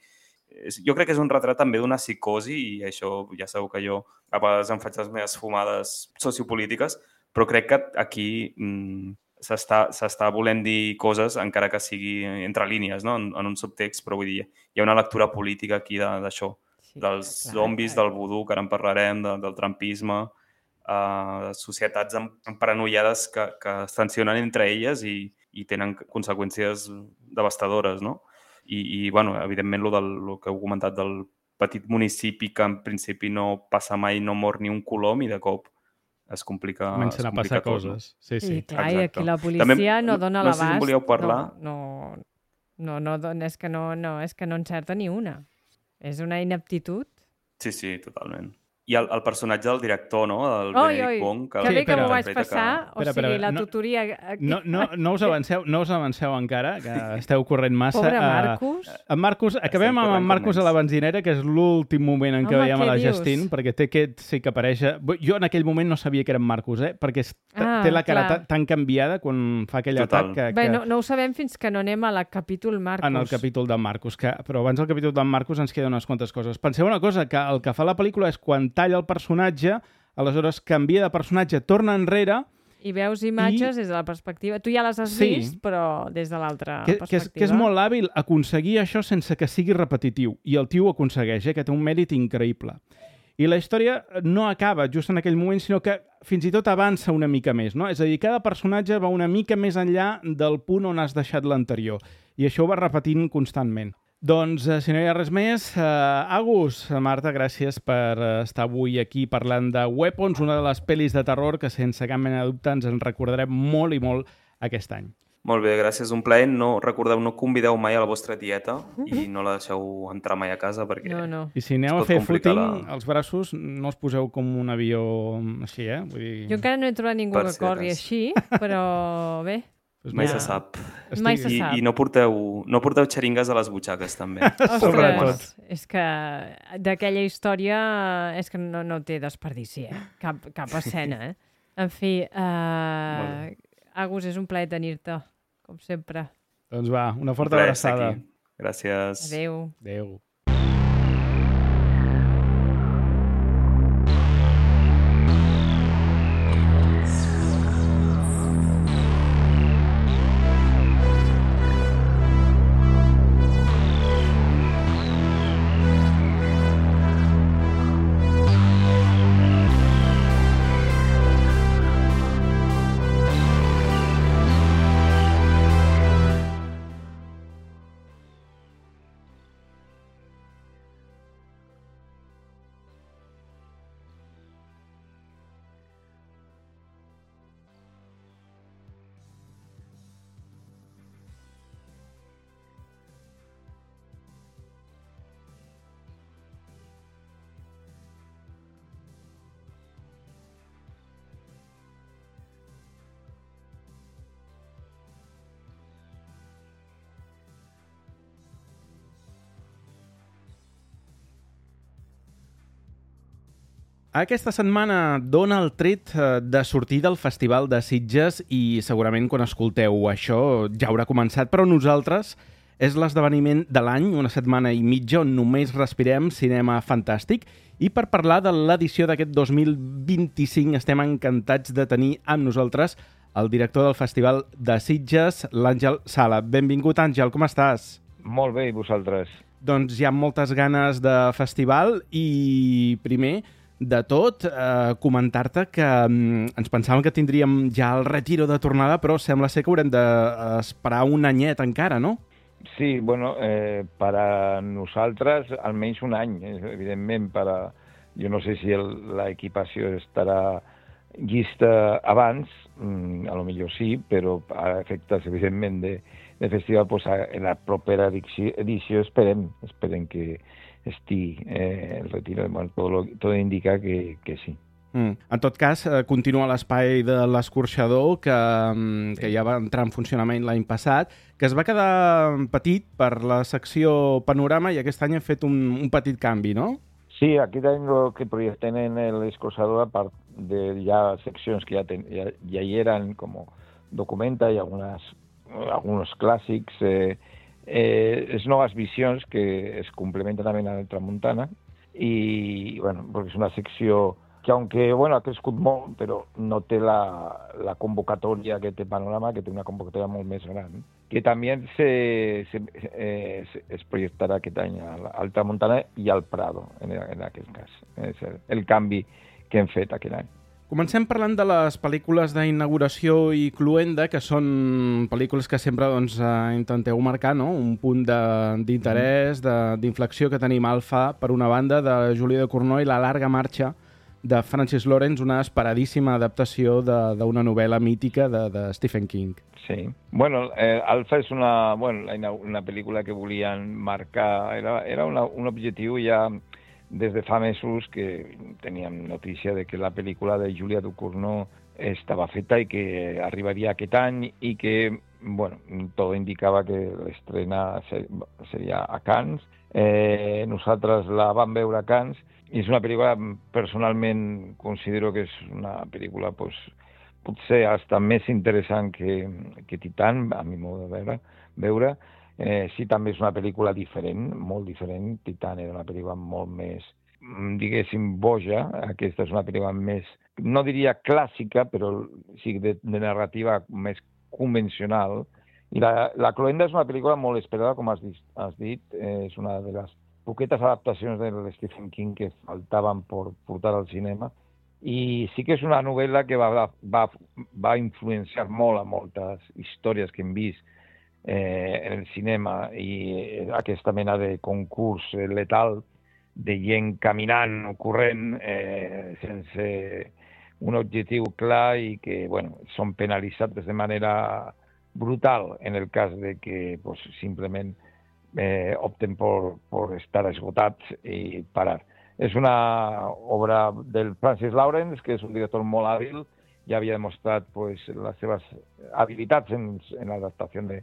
és, jo crec que és un retrat també d'una psicosi i això ja sabeu que jo a vegades em faig les meves fumades sociopolítiques, però crec que aquí mm, s'està s'està volent dir coses, encara que sigui entre línies, no? en, en un subtext, però vull dir, hi ha una lectura política aquí de- d'això, Sí, dels clar, zombis, clar. del vudú, que ara en parlarem, de, del trampisme, uh, societats em- emparanoiades que, que es tensionen entre elles i, i tenen conseqüències devastadores, no? I, i bueno, evidentment, lo del lo que heu comentat del petit municipi que en principi no passa mai, no mor ni un colom i de cop es complica, Comencen es a complica passar tot, no? coses. Sí, sí. I clar, i exacte. aquí la policia També- no no- dona no sé si en l'abast. volíeu parlar. No, no, no, no, dona- és que no, no, és que no encerta ni una. És una ineptitud. Sí, sí, totalment. I el, el personatge del director, no? Del Oi, Benedict oi, Wong. que Sí, bé que espera. m'ho vaig interpreta passar. O Espera, sigui, espera, la no- tutoria... Aquí. No, no, no, us avanceu, no us avanceu encara, que esteu corrent massa. Pobre Eh, Marcus. En Marcus, acabem amb en corrent com Marcus a la nens. benzinera, que és l'últim moment en què Home, veiem a què la dius? Justine, perquè té aquest, sí que apareix... Jo en aquell moment no sabia que era en Marcus, eh? perquè és, Ah, té la cara clar. tan, tan canviada quan fa aquell Total. atac que, Bé, que no, no ho sabem fins que no anem a la capítol Marcus. en el capítol d'en Marcus. Que, però abans del capítol d'en Marcus ens queden unes quantes coses. Penseu una cosa, que el que fa la pel·lícula és quan talla el personatge, aleshores canvia de personatge, torna enrere, I veus imatges I- des de la perspectiva... Tu ja les has Sí. vist, però des de l'altra que, perspectiva. que, és, que és molt hàbil aconseguir això sense que sigui repetitiu. I el tio ho aconsegueix, eh? que té un mèrit increïble. I la història no acaba just en aquell moment, sinó que fins i tot avança una mica més. No? És a dir, cada personatge va una mica més enllà del punt on has deixat l'anterior. I això ho va repetint constantment. Doncs, eh, si no hi ha res més, eh, Agus, Marta, gràcies per eh, estar avui aquí parlant de Weapons, una de les pel·lis de terror que, sense cap mena de dubte, ens en recordarem molt i molt aquest any. Molt bé, gràcies, un plaer. No, recordeu, no convideu mai a la vostra tieta i no la deixeu entrar mai a casa perquè... No, no. I si aneu Es a pot fer complicar footing, la- els braços no els poseu com un avió així, eh? Vull dir... Jo encara no he trobat ningú Per que si corri cas. així, però bé. Doncs Mai mira, se sap. Mai estic- se I, sap. I no porteu, no porteu xeringues a les butxaques, també. Sobretot. Ostres, és que d'aquella història és que no, no té desperdici, eh? Cap, cap escena, eh? En fi, uh, Agus, és un plaer tenir-te, com sempre. Doncs va, una Un forta plaer estar abraçada. aquí. Gràcies. Adéu. Adéu. Aquesta setmana dona el tret de sortir del Festival de Sitges i segurament quan escolteu això ja haurà començat, però nosaltres és l'esdeveniment de l'any, una setmana i mitja on només respirem cinema fantàstic. I per parlar de l'edició d'aquest dos mil vint-i-cinc estem encantats de tenir amb nosaltres el director del Festival de Sitges, l'Àngel Sala. Benvingut, Àngel, com estàs? Molt bé, i vosaltres? Doncs hi ha moltes ganes de festival i primer de tot eh, comentar-te que mm, ens pensàvem que tindríem ja el retiro de tornada, però sembla ser que haurem d'esperar un anyet encara, no? Sí, bueno, eh, per a nosaltres almenys un any, eh, evidentment, per a, jo no sé si l'equipació estarà llista abans, mm, a lo millor sí, però a efectes, evidentment, de, de festival, pues, en la propera edició, edició esperem, esperem que estigui eh, el retiro, bueno, tot, lo, tot indica que, que sí. Mm. En tot cas, eh, continua l'espai de l'escorxador que, que ja va entrar en funcionament l'any passat, que es va quedar petit per la secció Panorama i aquest any ha fet un, un petit canvi, no? Sí, aquest any el que projecten en l'escorxador, a part de ja seccions que ja, ten, ja, ja hi eren, com Documenta i algunes, alguns clàssics, eh, eh, és noves visions que es complementen també a la Tramuntana i, bueno, perquè és una secció que, aunque, bueno, ha crescut molt, però no té la, la convocatòria que té Panorama, que té una convocatòria molt més gran, que també se, se, eh, es projectarà aquest any al Tramuntana i al Prado, en, en aquest cas. És el, el canvi que hem fet aquest any. Comencem parlant de les pel·lícules d'inauguració i cluenda, que són pel·lícules que sempre doncs, eh, intenteu marcar, no? Un punt d'interès, d'inflexió que tenim Alfa, per una banda, de Julia Ducournau i La llarga marxa, de Francis Lawrence, una esperadíssima adaptació d'una novel·la mítica de, de Stephen King. Sí. Bueno, eh, Alfa és una, bueno, una pel·lícula que volien marcar, era, era una, un objectiu ja des de fa mesos que teníem notícia de que la pel·lícula de Julia Ducournau estava feta i que arribaria aquest any i que, bueno, tot indicava que l'estrena seria a Cannes. Eh, nosaltres la vam veure a Cannes i és una pel·lícula, personalment considero que és una pel·lícula pues, potser hasta més interessant que, que Titan, a mi modo de veure. veure. Eh, sí, també és una pel·lícula diferent, molt diferent. Titan era una pel·lícula molt més, diguéssim, boja. Aquesta és una pel·lícula més, no diria clàssica, però sí de, de narrativa més convencional. I la, la Cloenda és una pel·lícula molt esperada, com has dit. Has dit. Eh, és una de les poquetes adaptacions de Stephen King que faltaven per portar al cinema. I sí que és una novel·la que va, va, va influenciar molt a moltes històries que hem vist Eh, en el cinema i aquesta mena de concurs letal de gent caminant o corrent eh, sense un objectiu clar i que, bueno, són penalitzats de manera brutal en el cas de que pues, simplement eh, opten per, per estar esgotats i parar. És una obra del Francis Lawrence, que és un director molt hàbil, ja havia demostrat pues, les seves habilitats en, en l'adaptació de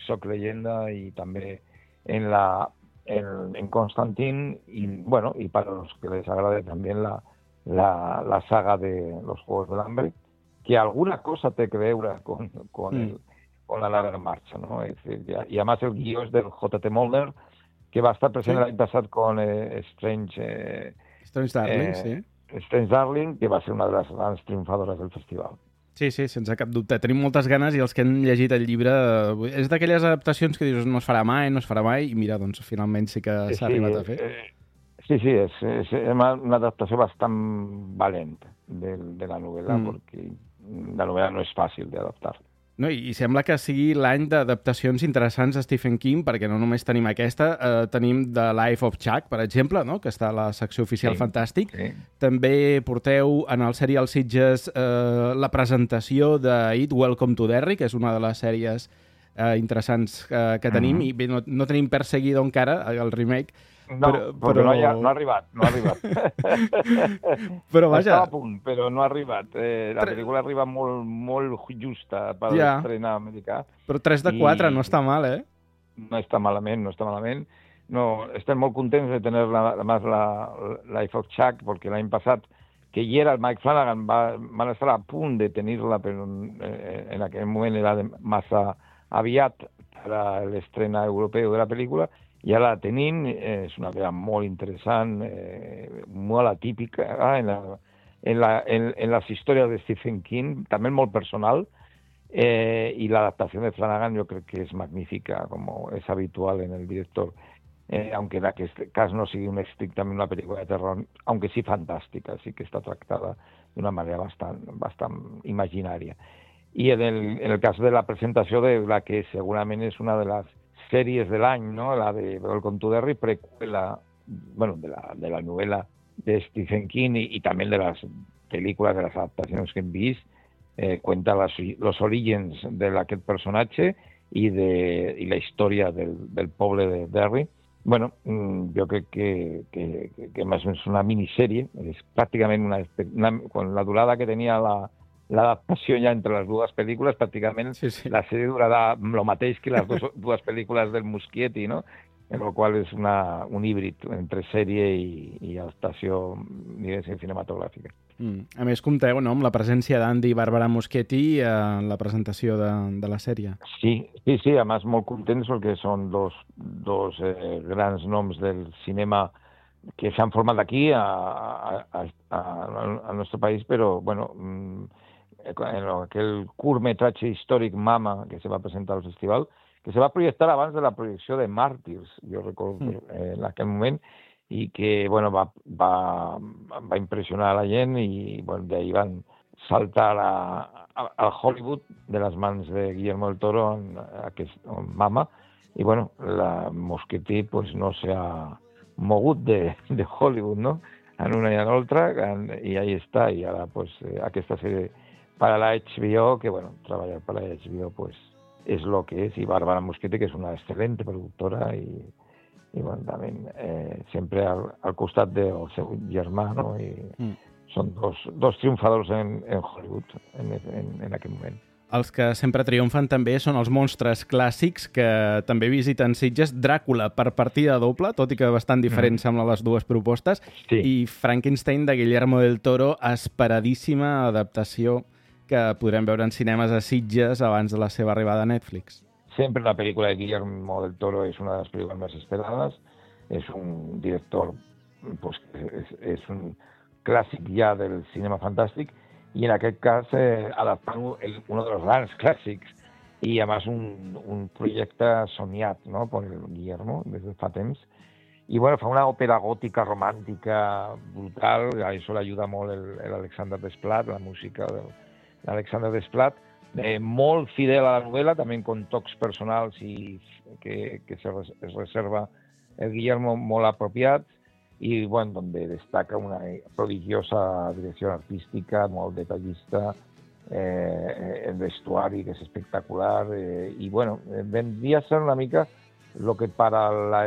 Soc leyenda y también en la en, en Constantine y bueno y para los que les agrade también la, la, la saga de los Juegos del Hambre, que alguna cosa te que veure con, con, mm. el, con la larga marcha, ¿no? Es decir, ya, y además el guió es del J T Mulder, que va a estar presente sí. el año pasado con eh, Strange eh, Strange Darling, eh, sí. Strange Darling, que va a ser una de las grandes triunfadoras del festival. Sí, sí, sense cap dubte. Tenim moltes ganes i els que han llegit el llibre és d'aquelles adaptacions que dius no es farà mai, no es farà mai, i mira, doncs finalment sí que s'ha sí, arribat a fer. Eh, sí, sí, és, és una adaptació bastant valent de, de la novel·la, mm. perquè la novel·la no és fàcil d'adaptar. No, i sembla que sigui l'any d'adaptacions interessants a Stephen King, perquè no només tenim aquesta, eh, tenim The Life of Chuck, per exemple, no? Que està a la secció oficial sí, Fantàstic. Sí. També porteu en el Serial Sitges eh, la presentació de It, Welcome to Derry, que és una de les sèries eh, interessants eh, que tenim, mm-hmm. i bé, no, no tenim perseguido encara el remake. No, però, però... no, ha, no ha arribat, no ha arribat. Però vaja... Estava a punt, però no ha arribat. Eh, la pel·lícula arriba molt, molt justa per ja. L'estrena americà. Però tres de quatre I... no està mal, eh? No està malament, no està malament. No, estem molt contents de tenir la, la, la Life of Chuck, perquè l'any passat que hi era el Mike Flanagan, va, van estar a punt de tenir-la, però eh, en aquell moment era de massa aviat per a l'estrena europeu de la pel·lícula, i ara la tenim, eh, és una pel·lícula molt interessant, eh, molt atípica, eh, en, la, en, la, en, en les històries de Stephen King, també molt personal, eh, i l'adaptació de Flanagan jo crec que és magnífica, com és habitual en el director. Eh, aunque en aquest cas no sigui un estrictament una pel·lícula de terror, aunque sí fantàstica, sí que està tractada d'una manera bastant, bastant imaginària. I en el, en el cas de la presentació de la que segurament és una de les sèries de l'any, no? La de Welcome to Derry, precuela, bueno, de la, de la novel·la de Stephen King i, i també de les pel·lícules, de les adaptacions que hem vist, eh, cuenta las, los orígens d'aquest personatge i, de, i la història del, del poble de Derry. Bueno, jo crec que, que, que més o menys una minissèrie, és pràcticament una, una, con la durada que tenia la, l'adaptació ja entre les dues pel·lícules, pràcticament sí, sí. La sèrie durarà el mateix que les dues, dues pel·lícules del Muschietti, no? En el qual és una, un híbrid entre sèrie i, i adaptació, diguéssim, cinematogràfica. Mm. A més, compteu, no?, amb la presència d'Andy i Barbara Muschietti en la presentació de, de la sèrie. Sí, sí, sí, a més molt contents perquè són dos, dos eh, grans noms del cinema que s'han format aquí a, a, a, a, al nostre país, però, bueno, en aquell curtmetratge històric Mama que se va presentar al festival, que se va projectar abans de la projecció de Màrtirs, jo recordo mm. eh, en aquell moment, i que bueno, va, va, va impressionar a la gent i bueno, d'ahir van saltar a, a, a Hollywood de les mans de Guillermo del Toro en, aquest, en Mama, i bueno, la Muschietti pues, no s'ha mogut de, de Hollywood, no? En una i en l'altra, i ahí està, i ara pues, aquesta sèrie per a la H B O, que bueno, treballar per a la H B O pues, és el que és, i Barbara Muschietti, que és una excel·lent productora i, i bueno, també eh, sempre al, al costat del seu germà, no? I mm. són dos, dos triomfadors en, en Hollywood en, en, en aquest moment. Els que sempre triomfen també són els monstres clàssics que també visiten Sitges. Dràcula per partida doble, tot i que bastant diferent mm. semblen les dues propostes, sí. I Frankenstein de Guillermo del Toro, esperadíssima adaptació que podrem veure en cinemes a Sitges abans de la seva arribada a Netflix. Sempre la pel·lícula de Guillermo del Toro és una de les pel·lícules més esperades. És un director, pues, és, és un clàssic ja del cinema fantàstic, i en aquest cas eh, adaptant un dels grans clàssics, i a més un, un projecte somiat, no?, per Guillermo des de fa temps. I bueno, fa una òpera gòtica romàntica brutal, a això l'ajuda molt l'Alexander Desplat, la música del l'Alexander Desplat, eh, molt fidel a la novel·la, també con tocs personals i que, que se res, es reserva el Guillermo molt apropiat, i bueno, donde destaca una prodigiosa direcció artística, molt detallista, eh, el vestuari que és espectacular, eh, i bueno, vendria a ser una mica lo que para la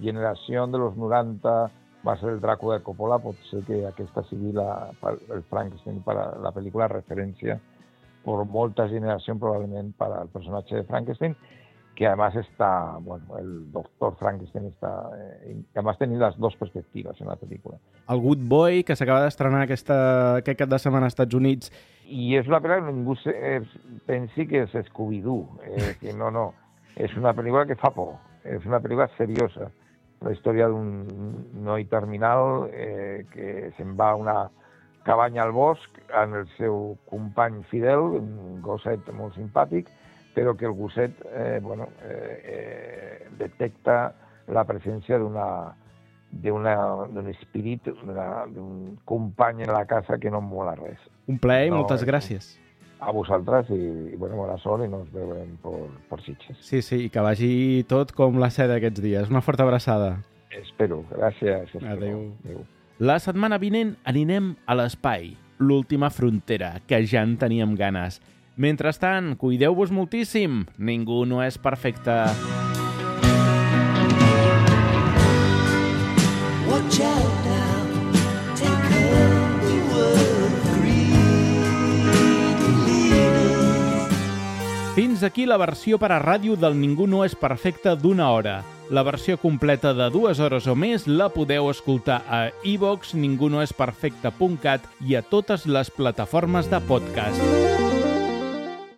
generació de los noranta va ser el Dràcula de Coppola, pot ser que aquesta sigui la, el Frankenstein per a la pel·lícula referència per molta generació probablement per al personatge de Frankenstein, que además està, bueno, el doctor Frankenstein està, eh, que además tenir les dues perspectives en la pel·lícula. El Good Boy, que s'acaba d'estrenar aquesta, aquest cap de setmana als Estats Units. I és una pel·lícula que ningú se, pensi que és Scooby-Doo, eh, que no, no, és una pel·lícula que fa por, és una pel·lícula seriosa. La història d'un noi terminal eh, que se'n va a una cabanya al bosc amb el seu company fidel, un gosset molt simpàtic, però que el gosset eh, bueno, eh, eh, detecta la presència d'una d'un espírit, d'un company en la casa que no en vola res. Un plaer i no, moltes gràcies. A vosaltres i, i bueno, bona sort i nos veurem per, per Sitges. Sí, sí, i que vagi tot com la seda aquests dies. Una forta abraçada. Espero, gràcies. Espero. Adéu. Adéu. La setmana vinent anirem a l'espai, l'última frontera, que ja en teníem ganes. Mentrestant, cuideu-vos moltíssim. Ningú no és perfecte. Watch out now, take care, we were Fins aquí la versió per a ràdio del Ningú no és perfecte d'una hora. La versió completa de dues hores o més la podeu escoltar a iVox, ningunoesperfecte punt cat i a totes les plataformes de podcast.